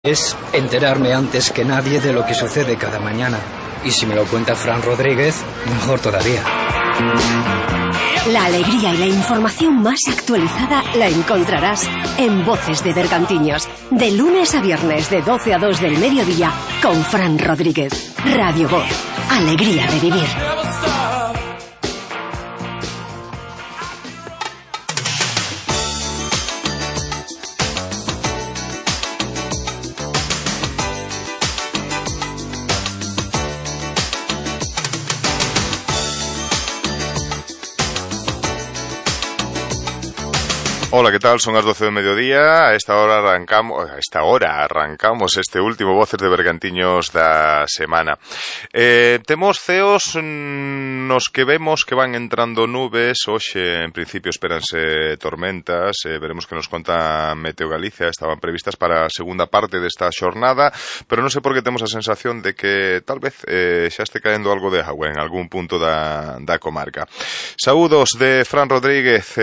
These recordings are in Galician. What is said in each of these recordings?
Es enterarme antes que nadie de lo que sucede cada mañana. Y si me lo cuenta Fran Rodríguez, mejor todavía. La alegría y la información más actualizada la encontrarás en Voces de Bergantiños, de lunes a viernes de 12 a 2 del mediodía con Fran Rodríguez. Radio Voz, alegría de vivir. Hola, ¿qué tal? Son as 12 do mediodía. A esta hora arrancamos este último Voces de Bergantiños da semana. Temos ceos nos que vemos que van entrando nubes. Hoxe, en principio, espéranse tormentas. Veremos que nos conta Meteo Galicia. Estaban previstas para a segunda parte desta xornada, pero non sei por que temos a sensación de que tal vez xa este caendo algo de agua en algún punto da comarca. Saúdos de Fran Rodríguez.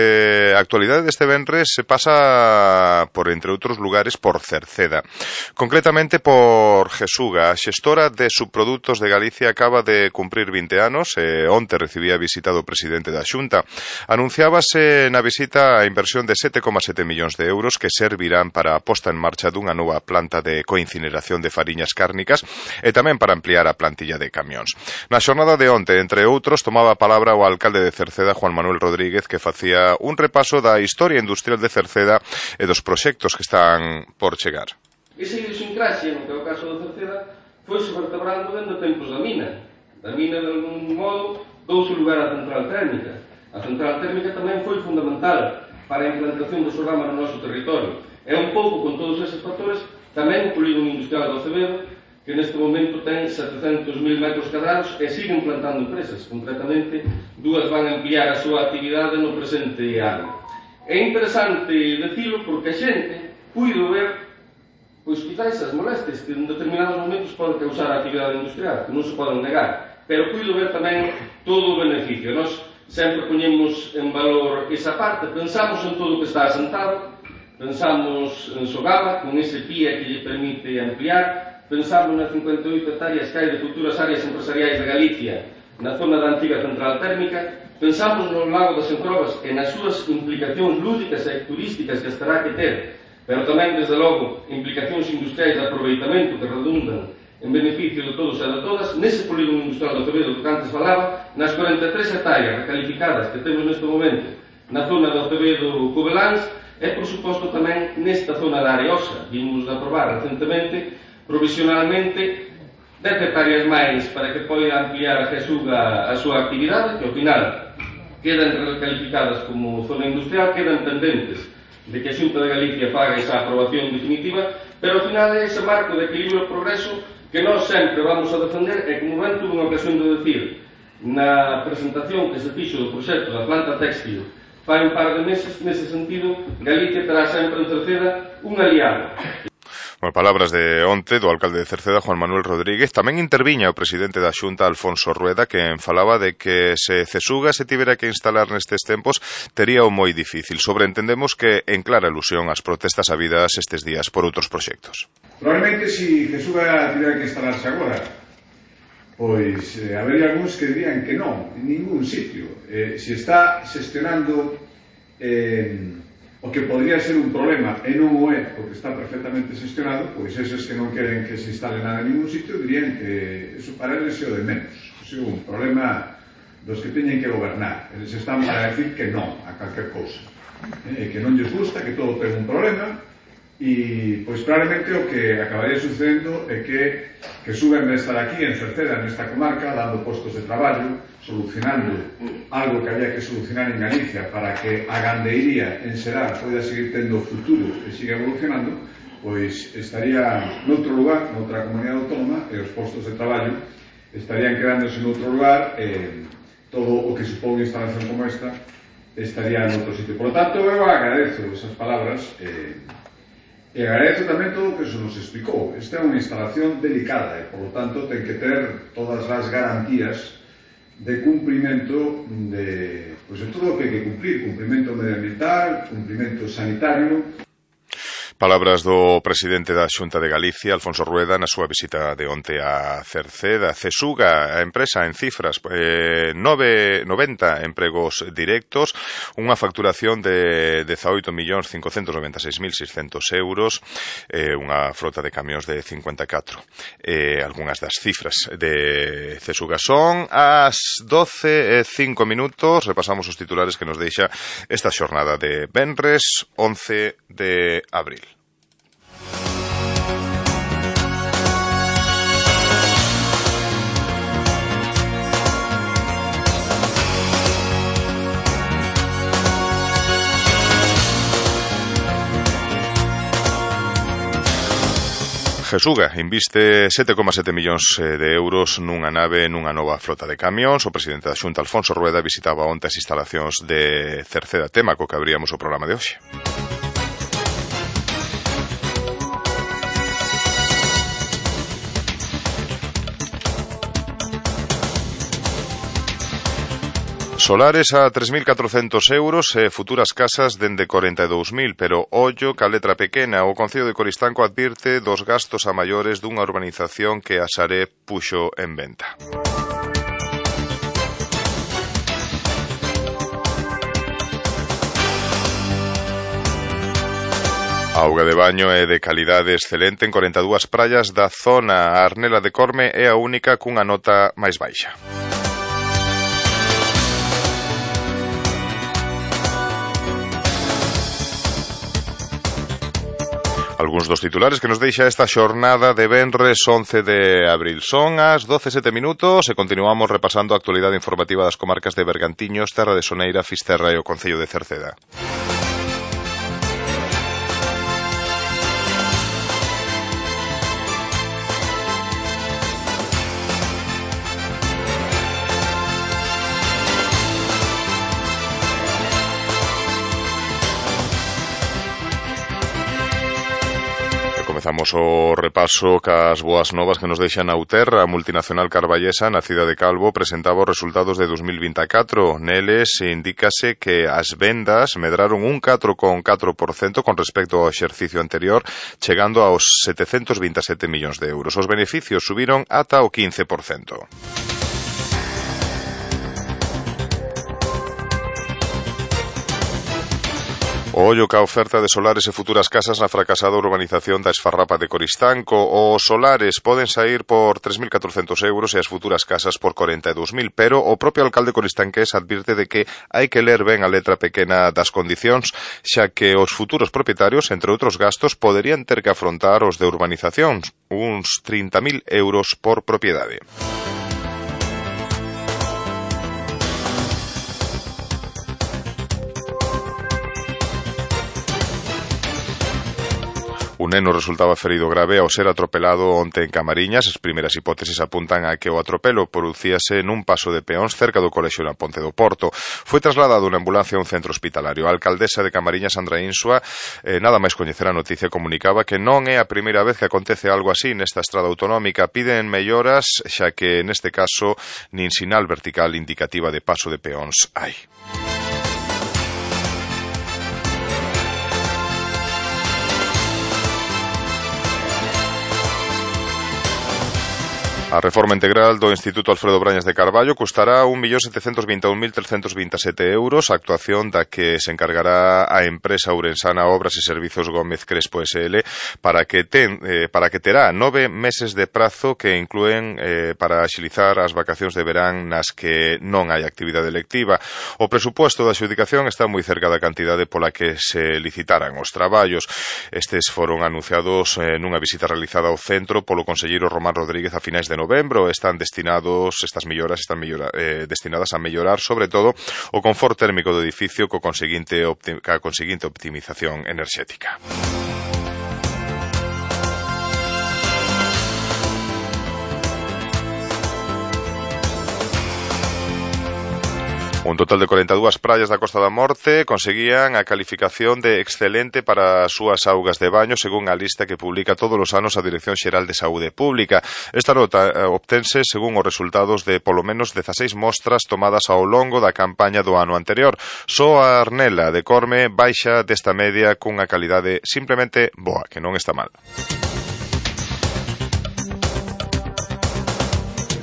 Actualidade deste venres se pasa por, entre outros lugares, por Cerceda. Concretamente por Jesuga. A xestora de subprodutos de Galicia acaba de cumprir 20 anos e onte recibía a visita do presidente da Xunta. Anunciábase na visita a inversión de 7,7 millóns de euros que servirán para a posta en marcha dunha nova planta de coincineración de fariñas cárnicas e tamén para ampliar a plantilla de camións. Na xornada de onte, entre outros, tomaba a palabra o alcalde de Cerceda, Juan Manuel Rodríguez, que facía un repaso da historia industrial de Cerceda e dos proxectos que están por chegar. Esa idiosincrasia, no que é o caso de Cerceda, foi-se vertebrando dentro tempos da mina. Da mina, de algún modo, douse lugar á central térmica. A central térmica tamén foi fundamental para a implantación do Sogama no noso territorio. É un pouco, con todos eses factores, tamén o polígono industrial do Acevedo, que neste momento ten 700.000 metros cadrados e sigue implantando empresas. Concretamente, dúas van a ampliar a súa actividade no presente ano. É interesante decilo porque a xente puido ver, pois quizás as molestias que en determinados momentos poden causar a actividade industrial, que non se poden negar, pero puido ver tamén todo o beneficio. Nós sempre poñemos en valor esa parte, pensamos en todo o que está asentado, pensamos en Sogama, con ese PIA que lle permite ampliar, pensamos nas 58 hectáreas que hai de futuras áreas empresariais de Galicia, na zona da antiga central térmica. Pensamos no lago das Encrobas e nas súas implicacións lúdicas e turísticas que estará que ter, pero tamén, desde logo, implicacións industriais de aproveitamento que redundan en beneficio de todos e de todas, nese polígono industrial do Acevedo que antes falaba, nas 43 hectáreas recalificadas que temos neste momento na zona do Acevedo Cobeláns e, por suposto, tamén nesta zona da Areosa. Vimos de aprobar recentemente, provisionalmente, 10 hectáreas máis para que poida ampliar a Jesuga a súa actividade, que ao final quedan recalificadas como zona industrial, quedan pendentes de que a Xunta de Galicia faga esa aprobación definitiva, pero ao final é ese marco de equilibrio e progreso que nós sempre vamos a defender e, como ben tuve unha ocasión de decir na presentación que se fixo do proxecto da planta textil fai un par de meses, nese sentido, Galicia terá sempre en Cerceda un aliado. Bueno, palabras de onte do alcalde de Cerceda, Juan Manuel Rodríguez. Tamén interviña o presidente da Xunta, Alfonso Rueda, que falaba de que se Cesuga se tivera que instalar nestes tempos tería o moi difícil. Sobreentendemos que en clara alusión ás protestas habidas estes días por outros proxectos. Probablemente si Cesuga tivera que instalarse agora, pois habería algúns que dirían que non, en ningún sitio. Se está xestionando o que podría ser un problema e non o é porque está perfectamente xestionado, pois eses que non queren que se instale nada en ningún sitio dirían que eso para eles é o de menos. É un problema dos que teñen que gobernar. Eles están para decir que non a calquer cousa, que non lles gusta, que todo ten un problema. E, pois, probablemente o que acabaría sucedendo é que suben de estar aquí en Cerceda, nesta comarca, dando postos de traballo, solucionando algo que había que solucionar en Galicia para que a gandeiría en Serar poida seguir tendo futuro e siga evolucionando, pois estaría noutro lugar, noutra comunidade autónoma, e os postos de traballo estarían quedándose noutro lugar, e todo o que supón instalación como esta estaría noutro sitio. Por lo tanto, eu agradezo esas palabras e agradezo tamén todo o que se nos explicou. Esta é unha instalación delicada e, por lo tanto, ten que ter todas as garantías de cumprimento de todo o que hai que cumplir, cumprimento medioambiental, cumprimento sanitario. Palabras do presidente da Xunta de Galicia, Alfonso Rueda, na súa visita de onte a Cerceda. Cesuga, a empresa en cifras, 90 empregos directos, unha facturación de 18.596.600 euros, unha frota de camións de 54. Algunhas das cifras de Cesuga son as 12:05, repasamos os titulares que nos deixa esta xornada de venres 11 de abril. Cesuga inviste 7,7 millóns de euros nunha nave nunha nova flota de camións. O presidente da Xunta, Alfonso Rueda, visitaba onte as instalacións de Cerceda, tema co que abríamos o programa de hoxe. Solares a 3.400 euros e futuras casas dende 42.000, pero ollo ca letra pequena. O Concello de Coristanco advirte dos gastos a maiores dunha urbanización que a Sareb puxo en venta. A auga de baño é de calidade excelente en 42 praias da zona. A Arnela de Corme é a única cunha nota máis baixa. Algúns dos titulares que nos deixa esta xornada de venres 11 de abril. Son as 12:07 e continuamos repasando a actualidade informativa das comarcas de Bergantiños, Terra de Soneira, Fisterra e o Concello de Cerceda. Comezamos o repaso cas boas novas que nos deixa Nauter. A multinacional carballesa na cidade de Calvo presentaba os resultados de 2024. Neles indícase que as vendas medraron un 4,4% con respecto ao exercicio anterior, chegando aos 727 millóns de euros. Os beneficios subiron ata o 15%. O ollo ca oferta de solares e futuras casas na fracasada urbanización da Esfarrapa de Coristanco. Os solares poden sair por 3.400 euros e as futuras casas por 42.000, pero o propio alcalde coristanqués advirte de que hai que ler ben a letra pequena das condicións, xa que os futuros propietarios, entre outros gastos, poderían ter que afrontar os de urbanizacións, uns 30.000 euros por propiedade. Un neno resultaba ferido grave ao ser atropelado onte en Camariñas. As primeiras hipótesis apuntan a que o atropelo producíase nun paso de peóns cerca do colexio na Ponte do Porto. Foi trasladado unha ambulancia a un centro hospitalario. A alcaldesa de Camariñas, Sandra Insua, nada máis coñecer a noticia, comunicaba que non é a primeira vez que acontece algo así nesta estrada autonómica. Piden melloras, xa que neste caso nin sinal vertical indicativa de paso de peóns hai. A reforma integral do Instituto Alfredo Brañas de Carballo custará 1.721.327 euros, a actuación da que se encargará a empresa ourensana Obras e Servizos Gómez Crespo SL, para que terá 9 meses de prazo que inclúen para axilizar as vacacións de verán nas que non hai actividade lectiva. O presupuesto da adxudicación está moi cerca da cantidade pola que se licitaran os traballos. Estes foron anunciados nunha visita realizada ao centro polo conselleiro Román Rodríguez a finais de novembro. Estas melloras están destinadas a mellorar sobre todo o confort térmico do edificio coa conseguinte optimización enerxética. Un total de 42 praias da Costa da Morte conseguían a calificación de excelente para as súas augas de baño, según a lista que publica todos os anos a Dirección Xeral de Saúde Pública. Esta nota obtense según os resultados de polo menos 16 mostras tomadas ao longo da campaña do ano anterior. Só a Arnela de Corme baixa desta media cunha calidade simplemente boa, que non está mal.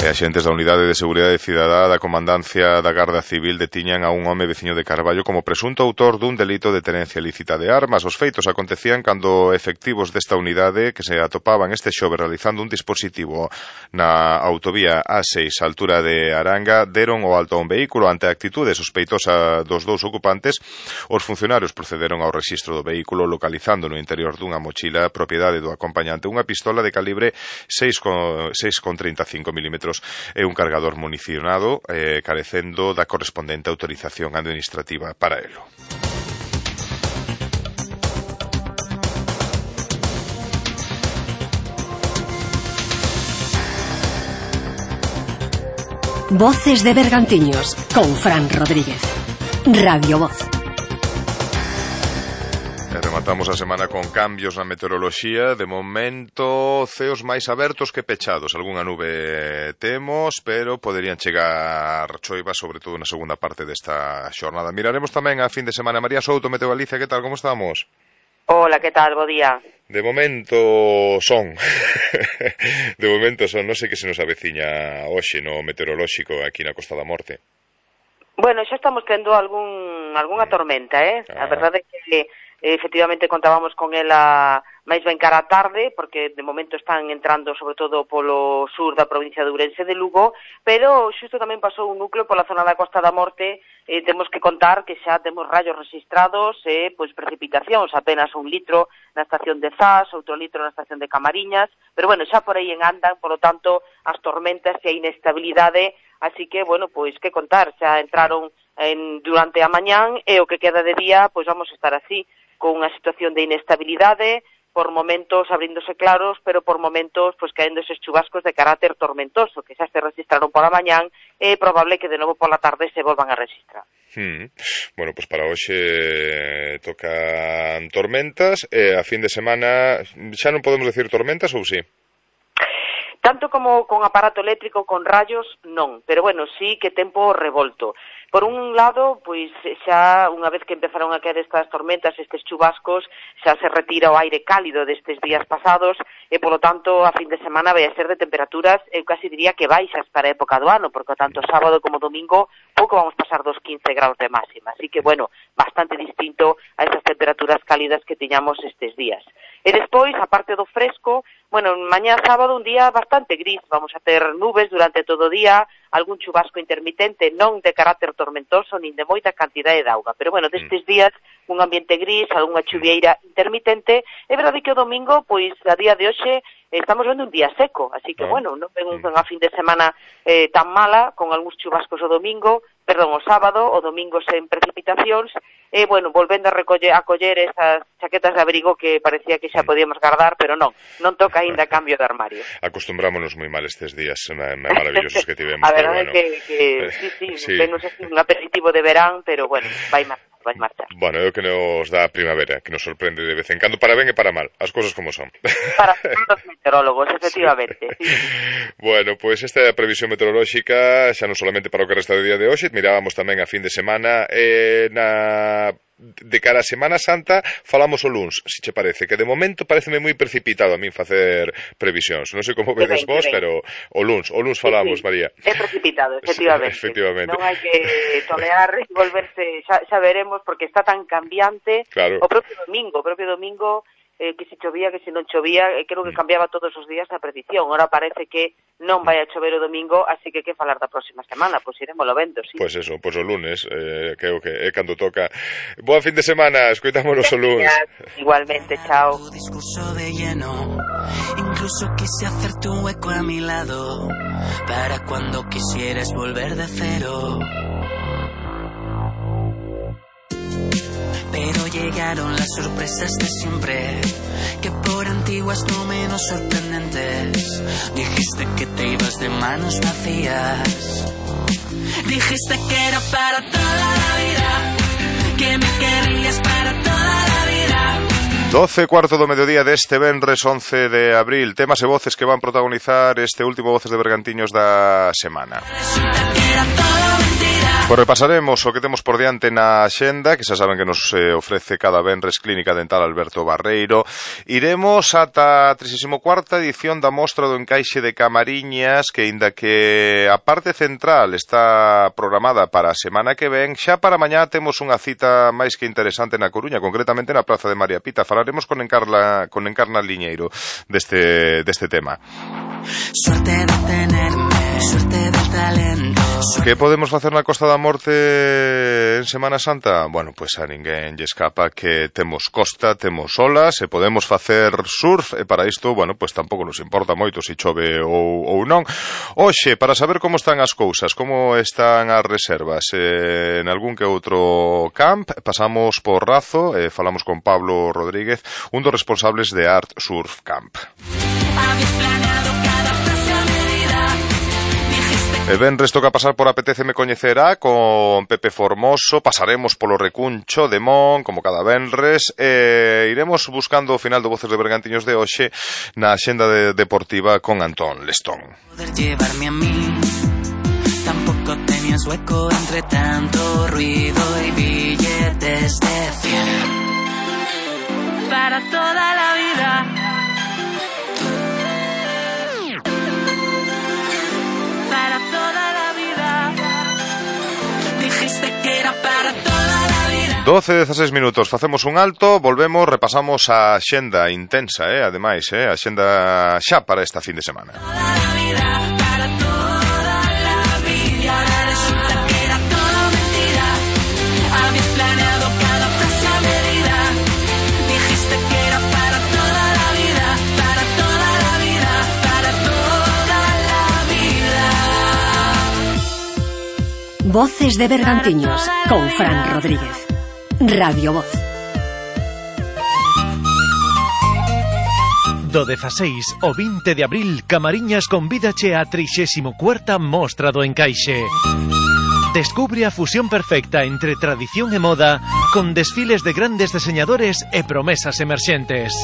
E axentes da Unidade de Seguridade Cidadá da Comandancia da Garda Civil detiñan a un home veciño de Carballo como presunto autor dun delito de tenencia ilícita de armas. Os feitos acontecían cando efectivos desta unidade que se atopaban este xoves realizando un dispositivo na autovía A6 a altura de Aranga deron o alto a un vehículo. Ante a actitude sospeitosa dos dous ocupantes, os funcionarios procederon ao rexistro do vehículo localizando no interior dunha mochila propiedade do acompañante unha pistola de calibre 6,35 mm e un cargador municionado carecendo da correspondente autorización administrativa para elo. Voces de Bergantiños con Fran Rodríguez. Radio Voz. Rematamos a semana con cambios na meteoroloxía. De momento, ceos máis abertos que pechados. Algúnha nube temos, pero poderían chegar choivas, sobre todo na segunda parte desta xornada. Miraremos tamén a fin de semana. María Souto, Meteo Galicia, que tal, como estamos? Hola, que tal, bo día. De momento son de momento son, non sei que se nos aveciña hoxe no meteorolóxico aquí na Costa da Morte. Bueno, xa estamos tendo algunha tormenta, A verdade é que efectivamente contábamos con ela máis ben cara a tarde, porque de momento están entrando sobre todo polo sur da provincia de Ourense de Lugo, pero xusto tamén pasou un núcleo pola zona da Costa da Morte. Temos que contar que xa temos rayos registrados, pois precipitacións, apenas 1 litro na estación de Zas, outro litro na estación de Camariñas, pero bueno, xa por aí andan, polo tanto, as tormentas e a inestabilidade, así que, bueno, pois que contar, xa entraron durante a mañán e o que queda de día, pois vamos a estar así, con unha situación de inestabilidade, por momentos abríndose claros, pero por momentos pois caendo eses chubascos de carácter tormentoso, que xa se registraron pola mañán, é probable que de novo pola tarde se volvan a registrar. Bueno, pois para hoxe tocan tormentas, a fin de semana xa non podemos decir tormentas ou sí? Tanto como con aparato eléctrico, con rayos, non, pero bueno, sí que tempo revolto. Por un lado, pois xa unha vez que empezaron a caer estas tormentas, estes chubascos, xa se retira o aire cálido destes días pasados e, polo tanto, a fin de semana vai a ser de temperaturas, eu casi diría que baixas para a época do ano, porque tanto sábado como domingo pouco vamos pasar dos 15 graus de máxima. Así que, bueno, bastante distinto a esas temperaturas cálidas que tiñamos estes días. E despois, a parte do fresco, bueno, mañá sábado un día bastante gris, vamos a ter nubes durante todo o día, algún chubasco intermitente, non de carácter tormentoso, nin de moita cantidade de auga, pero bueno, destes días un ambiente gris, algunha chuvieira intermitente, é verdade que o domingo, pois a día de hoxe, estamos vendo un día seco, así que bueno, non ven unha fin de semana tan mala, con algúns chubascos o sábado, o domingo sen precipitacións, e bueno, volvendo a coller esas chaquetas de abrigo que parecía que xa podíamos guardar, pero non toca aínda cambio de armario. Acostumbrámonos moi mal estes días maravillosos que tivemos. A verdade é que sí, venos un aperitivo de verán, pero bueno, vai marchar. Bueno, é o que nos dá a primavera, que nos sorprende de vez en cando, para ben e para mal, as cousas como son. Para os meteorólogos, efectivamente. Sí. Bueno, pois esta é a previsión meteorolóxica, xa non solamente para o que resta do día de hoxe, mirábamos tamén a fin de semana, de cara a Semana Santa falamos o luns, se che parece, que de momento pareceme moi precipitado a min facer previsións. Non sei como vedes vos, pero o luns falamos, sí. María. É precipitado, efectivamente. Non hai que tolear e volverse, xa veremos, porque está tan cambiante. Claro. O propio domingo, que se chovía, que se non chovía, creo que cambiaba todos os días a predicción. Ahora parece que non vai a chover o domingo, así que falar da próxima semana, pois iremoslo vendo, sí. Pois eso, pois o lunes, creo que é cando toca. Boa fin de semana, escoitámonos o lunes. Igualmente, chao. Discurso de lleno, incluso quise hacerte un hueco a mi lado, para cuando quisieras volver de cero. Pero llegaron las sorpresas de siempre, que por antiguas no menos sorprendentes. Dijiste que te ibas de manos vacías. Dijiste que era para toda la vida, que me querías para toda la vida. 12:15 do mediodía deste venres 11 de abril. Temas e voces que van protagonizar este último Voces de Bergantiños da semana. Pois repasaremos o que temos por diante na axenda, que xa saben que nos ofrece cada venres Clínica Dental Alberto Barreiro. Iremos ata a 34ª edición da Mostra do Encaixe de Camariñas, que inda que a parte central está programada para a semana que ven, xa para mañá temos unha cita máis que interesante na Coruña, concretamente na Praza de María Pita. Falaremos con Encarna Liñeiro deste tema. Suerte de tenerme, suerte de talento. Que podemos facer na Costa da Morte en Semana Santa? Bueno, pois a ninguén lle escapa que temos costa, temos olas, e podemos facer surf, e para isto, bueno, pois tampouco nos importa moito se chove ou non. Hoxe, para saber como están as cousas, como están as reservas en algún que outro camp, pasamos por Razo e falamos con Pablo Rodríguez, un dos responsables de Art Surf Camp. E venres toca pasar por Apetéceme Coñecerá con Pepe Formoso, pasaremos polo Recuncho de Mon, como cada venres, e iremos buscando o final do Voces de Bergantiños de hoxe na axenda deportiva con Antón Lestón. Poder llevarme a mí, tampoco tenías hueco entre tanto ruido y billetes de 100. Para toda la vida. Para toda la vida. Dijiste que era para toda la vida. 12:16 minutos, facemos un alto, volvemos, repasamos a axenda intensa, ademais, a axenda xa para esta fin de semana. Toda la vida, para toda la vida. Resulta que era todo mentira. Habías planeado cada frase a medida. Dijiste que era para toda la vida, para toda la vida, para toda la vida. Voces de Bergantiños con Fran Rodríguez. Radio Voz. Do 16 ao 20 de abril, Camariñas convídache a 34ª Mostra do Encaixe. Descubre a fusión perfecta entre tradición e moda, con desfiles de grandes diseñadores e promesas emerxentes.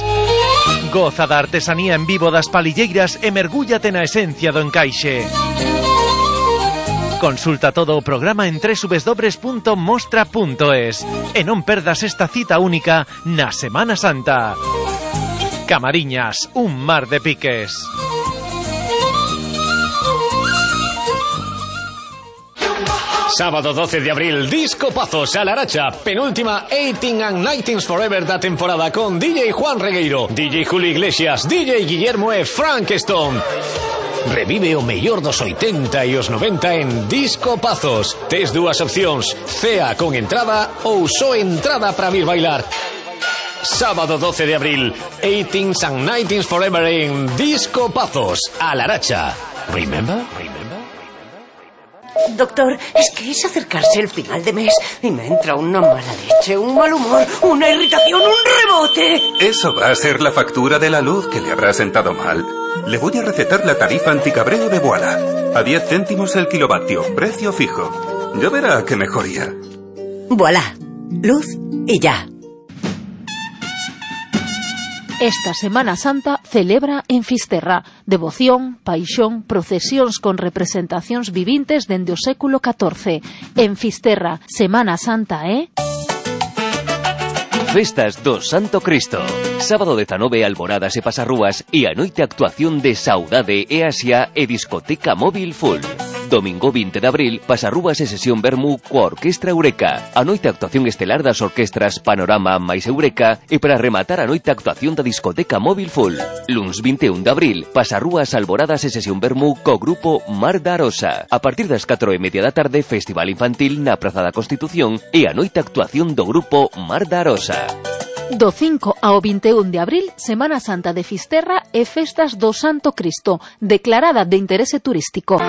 Goza da artesanía en vivo das palilleiras e mergúllate na esencia do encaixe. Consulta todo o programa en www.mostra.es e non perdas esta cita única na Semana Santa. Camariñas, un mar de piques. Sábado 12 de abril, Disco Pazos a Laracha, penúltima 18 and 19 Forever da temporada con DJ Juan Regueiro, DJ Julio Iglesias, DJ Guillermo e Frank Stone. Revive o mellor dos 80 e os 90 en Disco Pazos. Tes dúas opcións, cea con entrada ou só entrada para vir bailar. Sábado 12 de abril, 18 and 19 Forever en Disco Pazos a Laracha. Remember? Doctor, es que es acercarse el final de mes y me entra una mala leche, un mal humor, una irritación, un rebote. Eso va a ser la factura de la luz que le habrá sentado mal. Le voy a recetar la tarifa anticabreo de Voilà. A 10 céntimos el kilovatio, precio fijo. Ya verá qué mejoría. Voilà, luz y ya. Esta Semana Santa celebra en Fisterra devoción, paixón, procesións con representacións vivintes dende o século XIV. En Fisterra, Semana Santa, Festas do Santo Cristo. Sábado 19, alboradas e pasarrúas e a noite actuación de Saudade e Asia e discoteca móvil full. Domingo 20 de abril, pasarrúas e sesión vermú coa Orquestra Eureka. A noite actuación estelar das orquestras Panorama máis Eureka e para rematar a noite actuación da discoteca móvil full. Luns 21 de abril, pasarrúas, alboradas e sesión vermú co grupo Mar da Arosa. A partir das 4:30 da tarde, festival infantil na Praza da Constitución e a noite actuación do grupo Mar da Arosa. Do 5 ao 21 de abril, Semana Santa de Fisterra e Festas do Santo Cristo, declarada de interese turístico.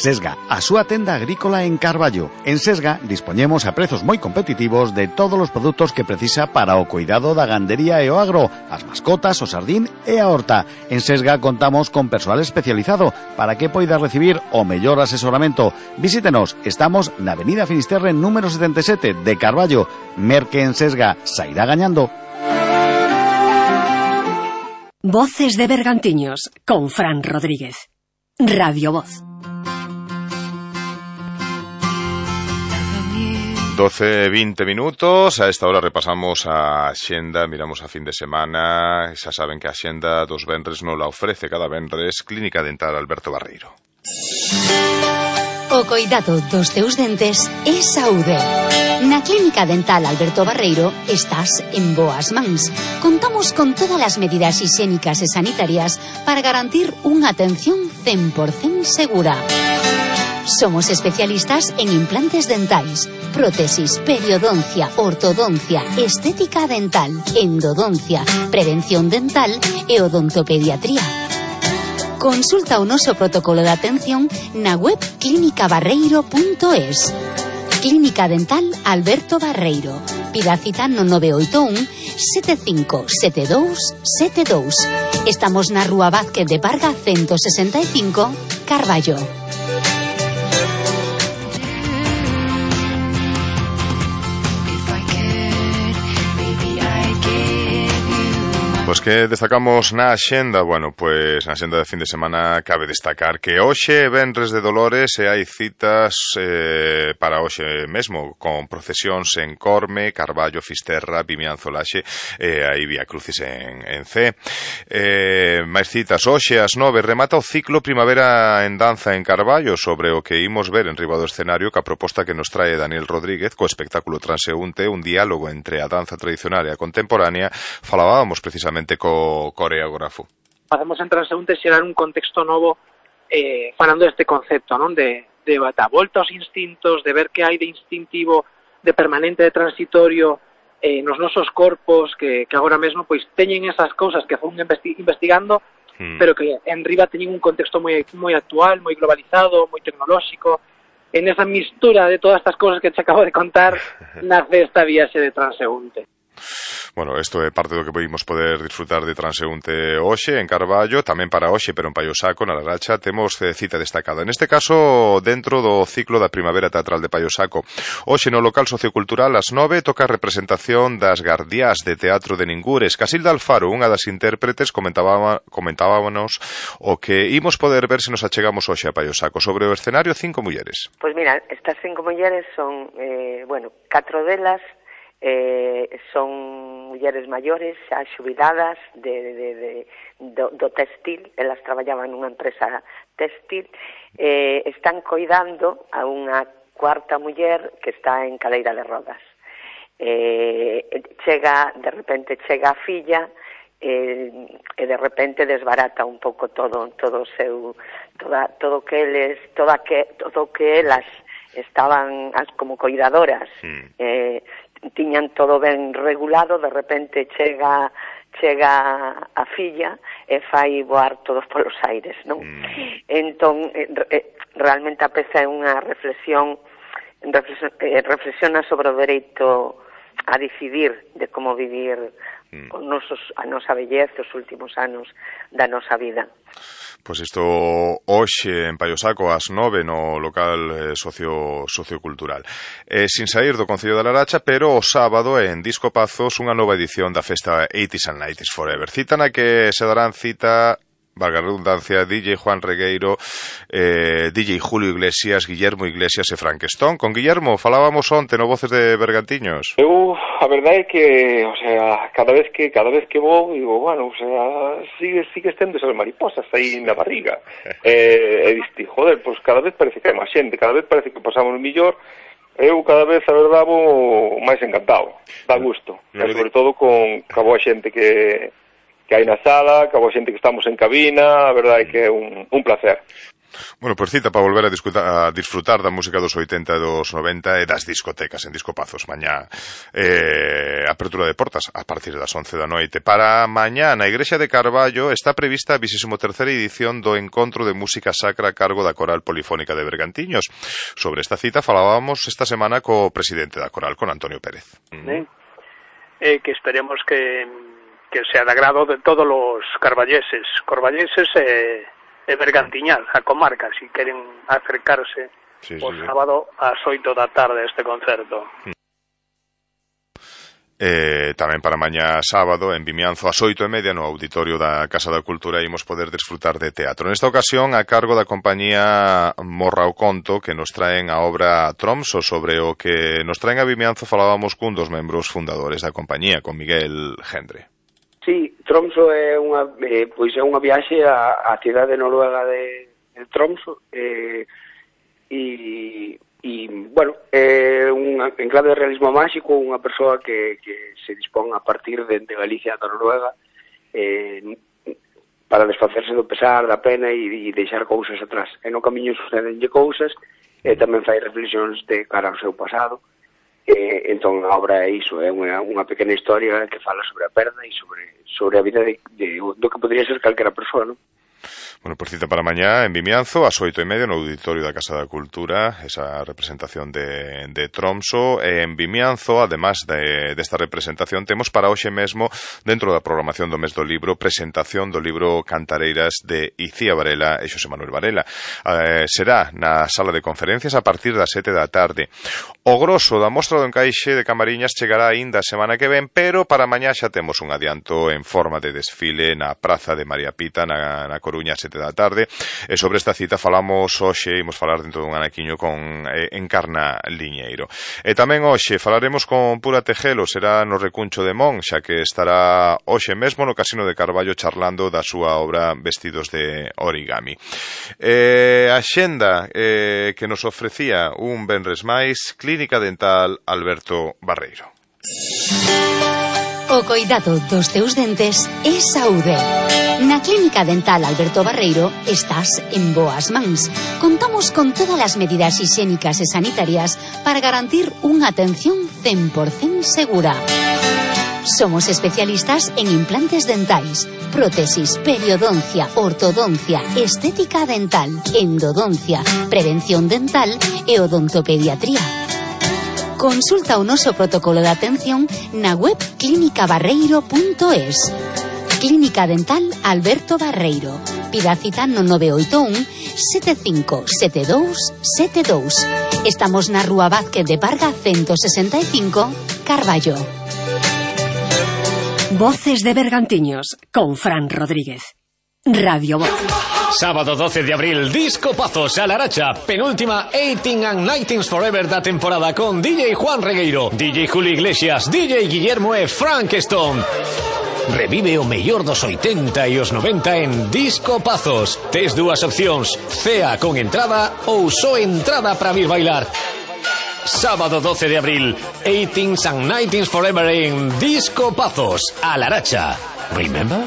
Sesga, a súa tenda agrícola en Carballo. En Sesga dispoñemos a prezos moi competitivos de todos os produtos que precisa para o cuidado da gandería e o agro, as mascotas, o sardín e a horta. En Sesga contamos con persoal especializado para que poida recibir o mellor asesoramento. Visítenos, estamos na Avenida Finisterre número 77 de Carballo. Merque en Sesga, sairá gañando. Voces de Bergantiños, con Fran Rodríguez. Radio Voz. 12:20 minutos, a esta hora repasamos a Axenda, miramos a fin de semana, xa saben que a Axenda dos venres non la ofrece cada venres Clínica Dental Alberto Barreiro. O coidado dos teus dentes é saúde. Na Clínica Dental Alberto Barreiro estás en boas mans. Contamos con todas as medidas higiénicas e sanitarias para garantir unha atención 100% segura. Somos especialistas en implantes dentais, prótesis, periodoncia, ortodoncia, estética dental, endodoncia, prevención dental e odontopediatría. Consulta o noso protocolo de atención na web clinicabarreiro.es. Clínica Dental Alberto Barreiro. Pida cita no 981 757272. Estamos na Rúa Vázquez de Parga 165, Carballo. Pois que destacamos na Axenda, bueno, pois na Axenda de fin de semana cabe destacar que hoxe venres de Dolores e hai citas para hoxe mesmo, con procesións en Corme, Carballo, Fisterra, Vimianzo, Laxe e aí Vía Crucis en C. Máis citas, hoxe ás 9 remata o ciclo Primavera en Danza en Carballo, sobre o que imos ver en riba do escenario ca proposta que nos trae Daniel Rodríguez co espectáculo Transeúnte, un diálogo entre a danza tradicional e a contemporánea. Falábamos precisamente co coreógrafo. Facemos en Transeúnte xerar un contexto novo falando deste concepto, non? De a volta aos instintos, de ver que hai de instintivo, de permanente, de transitorio nos nosos corpos que agora mesmo pois teñen esas cousas que fun investigando, pero que en riba teñen un contexto moi actual, moi globalizado, moi tecnolóxico. En esa mistura de todas estas cousas que te acabo de contar nace esta viaxe de Transeúnte. Bueno, isto é parte do que podemos poder disfrutar de Transeúnte hoxe en Carballo, tamén para hoxe, pero en Paio Saco, na Laracha, temos cita destacada. Neste caso, dentro do ciclo da Primavera Teatral de Paio Saco. Hoxe no local sociocultural, ás 9, toca a representación das Gardiás de Teatro de Ningures. Casilda Alfaro, unha das intérpretes, comentábamos o que imos poder ver se nos achegamos hoxe a Paio Saco. Sobre o escenario, 5 mulleres. Pois mira, estas 5 mulleres son, 4 delas son mulleres maiores, xa xubiladas do textil. Elas traballaban nunha empresa textil, están coidando a unha cuarta muller que está en cadeira de rodas. De repente chega a filla e de repente desbarata un pouco todo o seu todo que elas estaban como coidadoras, tiñan todo ben regulado, de repente chega a filla e fai voar todos polos aires, non? Entón, realmente a peza é unha reflexiona sobre o dereito a decidir de como vivir a nosa vellez, os últimos anos da nosa vida. Pois isto hoxe en Paio Saco ás 9 no local sociocultural. Sin sair do Concello da Laracha, pero o sábado en Disco Pazos unha nova edición da festa 80s and 90s Forever. Cita na que se darán cita, valga a redundancia, DJ Juan Regueiro, DJ Julio Iglesias, Guillermo Iglesias e Frankenstein. Con Guillermo falábamos onte no Voces de Bergantiños. A verdade é que, o sea, cada vez que vou, digo, bueno, o sea, sigue tendo esas mariposas aí na barriga. E diste, joder, pois cada vez parece que hai máis xente, cada vez parece que pasamos mellor. Eu cada vez, a verdade, vou máis encantado, dá gusto. E sobre todo con a boa xente que hai na sala, que a boa xente que estamos en cabina, a verdade é que é un placer. Bueno, pois cita para volver a disfrutar da música dos 80 e dos 90 e das discotecas en Discopazos. Mañá, apertura de portas a partir das 11 da noite. Para mañá, na Igrexa de Carballo, está prevista a 23ª edición do Encontro de Música Sacra a cargo da Coral Polifónica de Bergantiños. Sobre esta cita falábamos esta semana co presidente da Coral, con Antonio Pérez. Que esperemos que sea de agrado de todos os carballeses e Bergantiñal, a comarca, si queren acercarse o sábado ás 8 da tarde a este concerto. Tamén para mañá sábado en Vimianzo ás 8:30 no auditorio da Casa da Cultura imos poder desfrutar de teatro. Nesta ocasión a cargo da compañía Morra o Conto, que nos traen a obra Tromso. Sobre o que nos traen a Vimianzo falábamos cun dos membros fundadores da compañía, con Miguel Gendre. Sí, Tromso é unha viaxe á cidade noruega de Tromso e bueno, é en clave de realismo máxico, unha persoa que se dispón a partir de Galicia ata Noruega para desfacerse do pesar, da pena e deixar cousas atrás. E no camiño sucedenlle cousas e tamén fai reflexións de cara ao seu pasado. Entón a obra é iso, é unha pequena historia que fala sobre a perda e sobre a vida do que podría ser calquera persoa, non? Bueno, por cita para mañá en Vimianzo ás 8:30 no auditorio da Casa da Cultura, esa representación de Tromso. En Vimianzo, además desta representación, temos para hoxe mesmo, dentro da programación do mes do libro, presentación do libro Cantareiras de Icía Varela e Xosé Manuel Varela. Será na sala de conferencias a partir das 7 da tarde. O grosso da mostra do encaixe de Camariñas chegará aínda a semana que ven, pero para mañá xa temos un adianto en forma de desfile na Praza de María Pita, na Coruña, 7 da tarde. E sobre esta cita falamos hoxe, imos falar dentro dun anaquiño con Encarna Liñeiro. E tamén hoxe falaremos con Pura Tejelo, será no Recuncho de Mon, xa que estará hoxe mesmo no Casino de Carballo charlando da súa obra Vestidos de Origami. A xenda que nos ofrecía un venres máis, Clínica Dental Alberto Barreiro. O coidado dos teus dentes é saúde. Na Clínica Dental Alberto Barreiro estás en boas mans. Contamos con todas as medidas higiénicas e sanitarias para garantir unha atención 100% segura. Somos especialistas en implantes dentais, prótesis, periodoncia, ortodoncia, estética dental, endodoncia, prevención dental e odontopediatría. Consulta o noso protocolo de atención na web clinicabarreiro.es. Clínica Dental Alberto Barreiro. Pida cita no 981 757272. Estamos na Rúa Vázquez de Parga 165, Carballo. Voces de Bergantiños con Fran Rodríguez. Radio Voz. Sábado 12 de abril, Discopazos a Laracha, penúltima 18 and 19 Forever da temporada con DJ Juan Regueiro, DJ Julio Iglesias, DJ Guillermo e Frank Stone. Revive o mellor dos 80 e os 90 en Discopazos. Tes dúas opcións, cea con entrada ou só entrada para vir bailar. Sábado 12 de abril, 18 and 19 Forever en Discopazos a Laracha. Remember?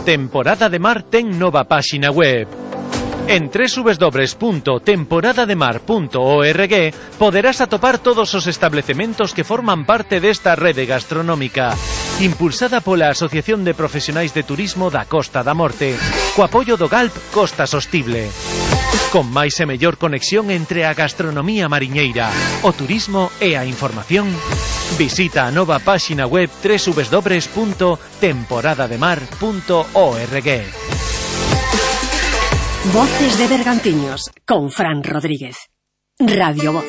Temporada de Mar ten nova páxina web. En www.temporadademar.org poderás atopar todos os establecementos que forman parte desta rede gastronómica, impulsada pola Asociación de Profesionais de Turismo da Costa da Morte, co apoio do GALP Costa Sostible. Con máis e mellor conexión entre a gastronomía mariñeira, o turismo e a información, visita a nova páxina web www.temporadademar.org. Voces de Bergantiños con Fran Rodríguez. Radio Voz.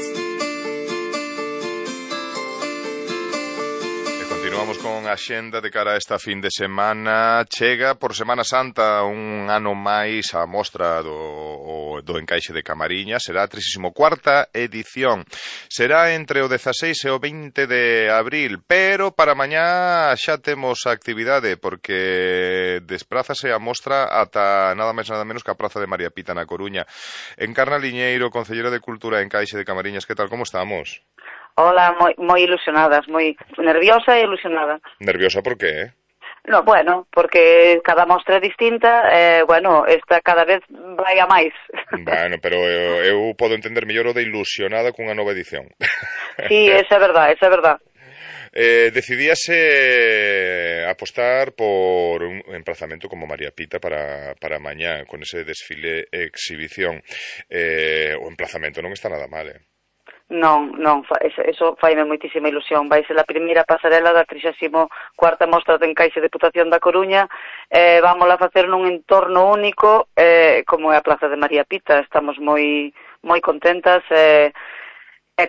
Continuamos con a xenda de cara a esta fin de semana. Chega por Semana Santa un ano máis a mostra do encaixe de Camariñas. Será a 34ª edición. Será entre o 16 e o 20 de abril, pero para mañá xa temos a actividade porque desprázase a mostra ata nada máis nada menos que a Praza de María Pita na Coruña. Encarna Liñeiro, Concelleira de Cultura e Encaixe de Camariñas, que tal, como estamos? Hola, moi ilusionadas, moi nerviosa e ilusionada. Nerviosa por qué? No, bueno, porque cada mostra é distinta, bueno, esta cada vez vai a máis. Bueno, pero eu podo entender mellor o de ilusionada cunha nova edición. Sí, esa é verdad, esa é verdad. Decidíase apostar por un emplazamento como María Pita para mañá, con ese desfile exhibición. O emplazamento non está nada mal, Non, eso faime moitísima ilusión. Vai ser a primeira pasarela da 34ª Mostra de Encaixe Deputación da Coruña. Vámola a facer nun entorno único, como é a Plaza de María Pita. Estamos moi contentas.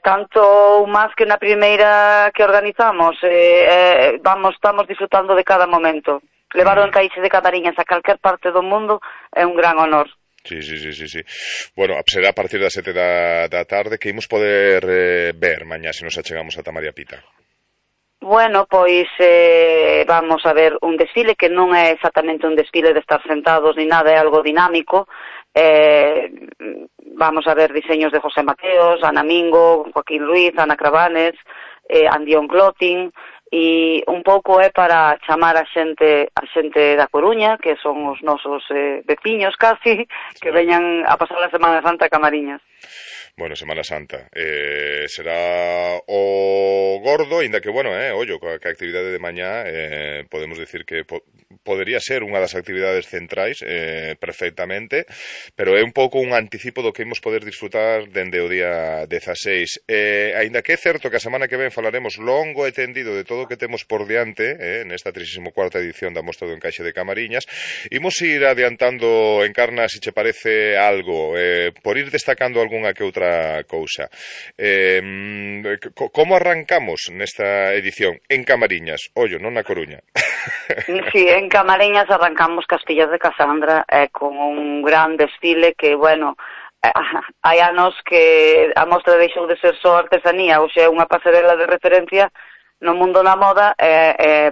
Tanto máis que na primeira que organizamos, estamos disfrutando de cada momento. Levar o Encaixe de Camariñas a calquer parte do mundo é un gran honor. Sí. Bueno, será a partir das 7 da tarde que imos poder ver mañá se nos achegamos ata María Pita. Bueno, pois vamos a ver un desfile que non é exactamente un desfile de estar sentados ni nada, é algo dinámico. Vamos a ver diseños de José Mateos, Ana Mingo, Joaquín Ruiz, Ana Cravanes, Andión Clotin, e un pouco é para chamar a xente da Coruña, que son os nosos veciños casi, que veñan a pasar a Semana Santa a Camariñas. Bueno, Semana Santa. Será o gordo, ainda que, bueno, ollo, que a actividade de mañá podemos dicir que podería ser unha das actividades centrais perfectamente, pero é un pouco un anticipo do que imos poder disfrutar dende o día 16. Ainda que é certo que a semana que ven falaremos longo e tendido de todo o que temos por diante nesta 34ª edición da Mostra do Encaixe de Camariñas, imos ir adiantando, Encarna, se che parece algo, por ir destacando algunha que outra cousa. Como arrancamos nesta edición? En Camariñas, ollo, non na Coruña. Sí, en Camariñas arrancamos Castillas de Casandra con un gran desfile que, bueno, hai anos que a mostra deixou de ser só artesanía, ou xa unha pasarela de referencia no mundo da moda,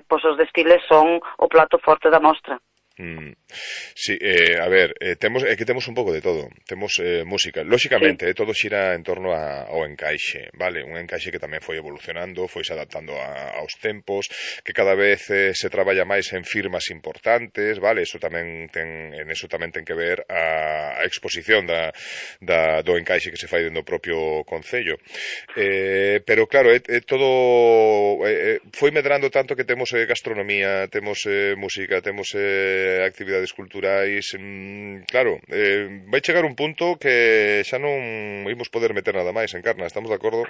pois os desfiles son o plato forte da mostra. Sí, a ver, temos un pouco de todo. Temos música, lóxicamente, todo xira en torno ao encaixe, vale? Un encaixe que tamén foi evolucionando, foi se adaptando aos tempos, que cada vez se traballa máis en firmas importantes, vale? Eso tamén ten que ver a exposición do encaixe que se fai dentro do propio concello. Pero claro, todo foi medrando tanto que temos gastronomía, temos música, temos actividades culturais, claro, vai chegar un punto que xa non imos poder meter nada máis, Encarna, estamos de acordo?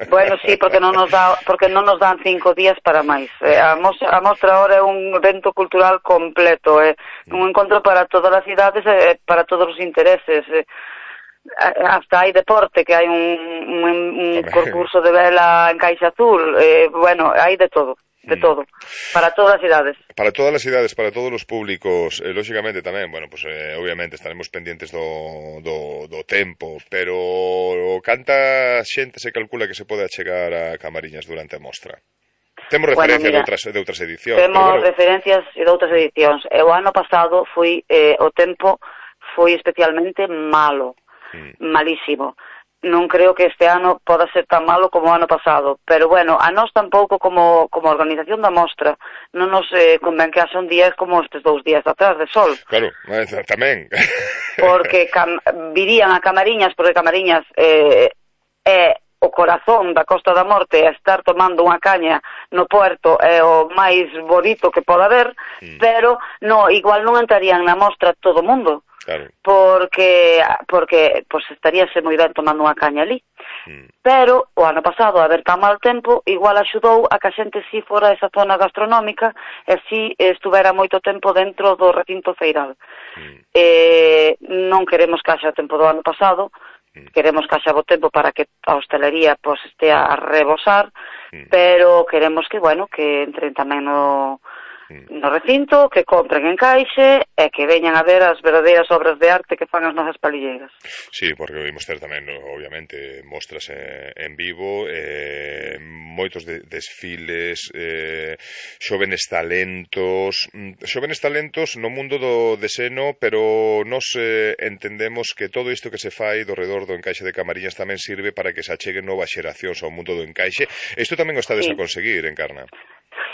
Bueno, sí, porque non nos dan 5 días para máis. A mostra ahora é un evento cultural completo, un encontro para todas as cidades, para todos os intereses. Hasta hai deporte, que hai un concurso de vela en Caixa Azul, bueno, hai de todo. De todo, para todas as idades. Para todas as idades, para todos os públicos, lóxicamente tamén, bueno, pues obviamente estaremos pendientes do tempo, pero canta xente se calcula que se pode achegar a Camariñas durante a mostra? Temos referencias de outras edicións. Temos referencias de outras edicións. O ano pasado o tempo foi especialmente malo, malísimo. Non creo que este ano poda ser tan malo como o ano pasado, pero bueno, a nós tampouco como organización da mostra non nos convén que haxa un día como estes 2 días atrás de sol. Claro, tamén. Porque virían a Camariñas, porque Camariñas é o corazón da Costa da Morte, a estar tomando unha caña no puerto é o máis bonito que poda haber, pero igual non entrarían na mostra todo o mundo. Claro. Porque pues estaríase moi ben tomando unha caña ali. Pero o ano pasado, a ver tan mal tempo, igual axudou a que a xente si fora esa zona gastronómica e si estuvera moito tempo dentro do recinto feiral. Non queremos que haxa tempo do ano pasado, queremos que haxa bo tempo para que a hostelería pues estea a rebosar, pero queremos que, bueno, que entren tamén no recinto, que compren encaixe e que veñan a ver as verdadeiras obras de arte que fan as nosas palilleiras. Sí, porque vimos ter tamén, obviamente, mostras en vivo, moitos desfiles, xóvenes talentos no mundo do deseno, pero nos entendemos que todo isto que se fai do redor do encaixe de Camariñas tamén sirve para que se acheguen novas xeracións ao mundo do encaixe. Isto tamén o estades a conseguir, Encarna.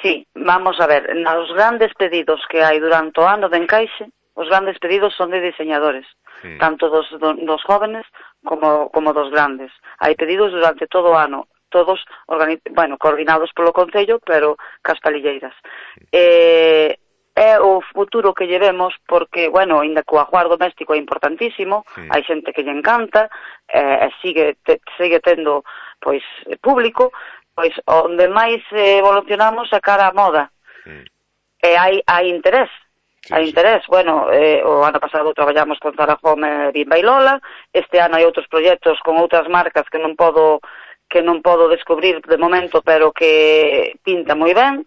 Sí, vamos a ver, nos grandes pedidos que hai durante o ano de encaixe, os grandes pedidos son de diseñadores, tanto dos jóvenes como dos grandes. Hai pedidos durante todo o ano, todos coordinados polo Concello, pero cas palilleiras. É o futuro que llevemos porque, ainda que o ajuar doméstico é importantísimo, hai xente que lle encanta, sigue tendo público, onde máis evolucionamos é cara a moda. E hai interés. Hai interés. O ano pasado traballamos con Zara Home, Bimba e Lola. Este ano hai outros proxectos con outras marcas que non podo descubrir de momento, pero que pinta moi ben.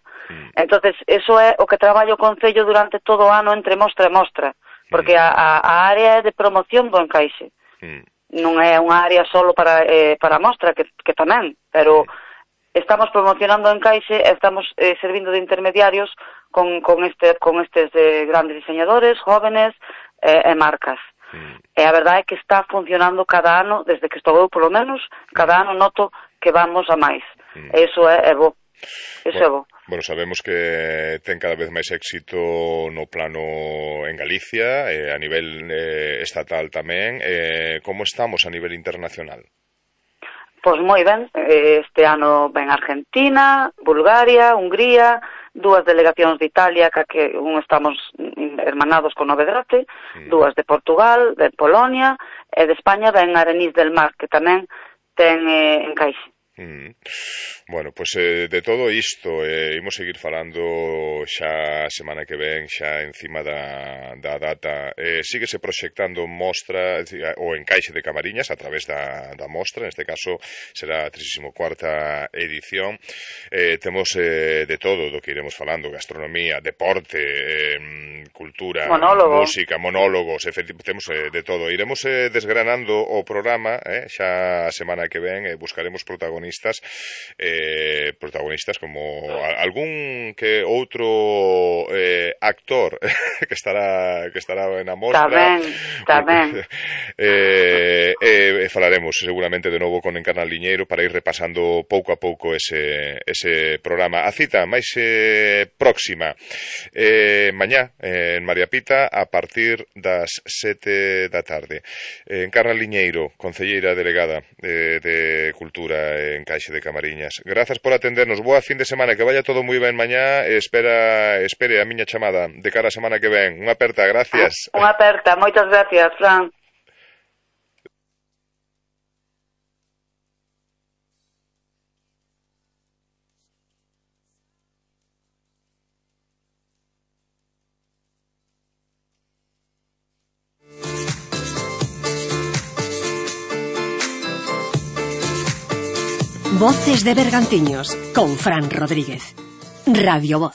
Entonces, eso é o que traballo o Concello durante todo o ano entre mostra e mostra, porque a área é de promoción do encaixe. Non é unha área solo para a mostra, que tamén, pero estamos promocionando o encaixe, estamos servindo de intermediarios con estes grandes diseñadores, jóvenes e marcas. E a verdade é que está funcionando cada ano, desde que estou eu, polo menos, cada ano noto que vamos a máis. Eso é bo. Eso é bo. Sabemos que ten cada vez máis éxito no plano en Galicia, a nivel estatal tamén. Como estamos a nivel internacional? Pois moi ben, este ano ven Argentina, Bulgaria, Hungría, 2 delegacións de Italia, que estamos hermanados con Novedrate, 2 de Portugal, de Polonia, e de España ven Arenís del Mar, que tamén ten encaixe. De todo isto imos seguir falando xa semana que ven, xa encima da data. Síguese proxectando mostra o encaixe de Camariñas a través da mostra, neste caso será a 34ª edición. Temos de todo do que iremos falando: gastronomía, deporte, cultura, música, monólogos, temos de todo. Iremos desgranando o programa xa a semana que ven, buscaremos protagonistas como algún que outro actor que estará na mostra. Tamén. Falaremos seguramente de novo con Encarna Liñeiro para ir repasando pouco a pouco ese programa. A cita máis próxima mañá en María Pita a partir das 7 da tarde. Encarna Liñeiro, concelleira delegada de Cultura en Encaixe de Camariñas. Grazas por atendernos. Boa fin de semana, que vaya todo moi ben mañá. Espere a miña chamada de cara a semana que ven. Unha aperta, gracias. Unha aperta, moitas gracias, Fran. Voces de Bergantiños, con Fran Rodríguez. Radio Voz.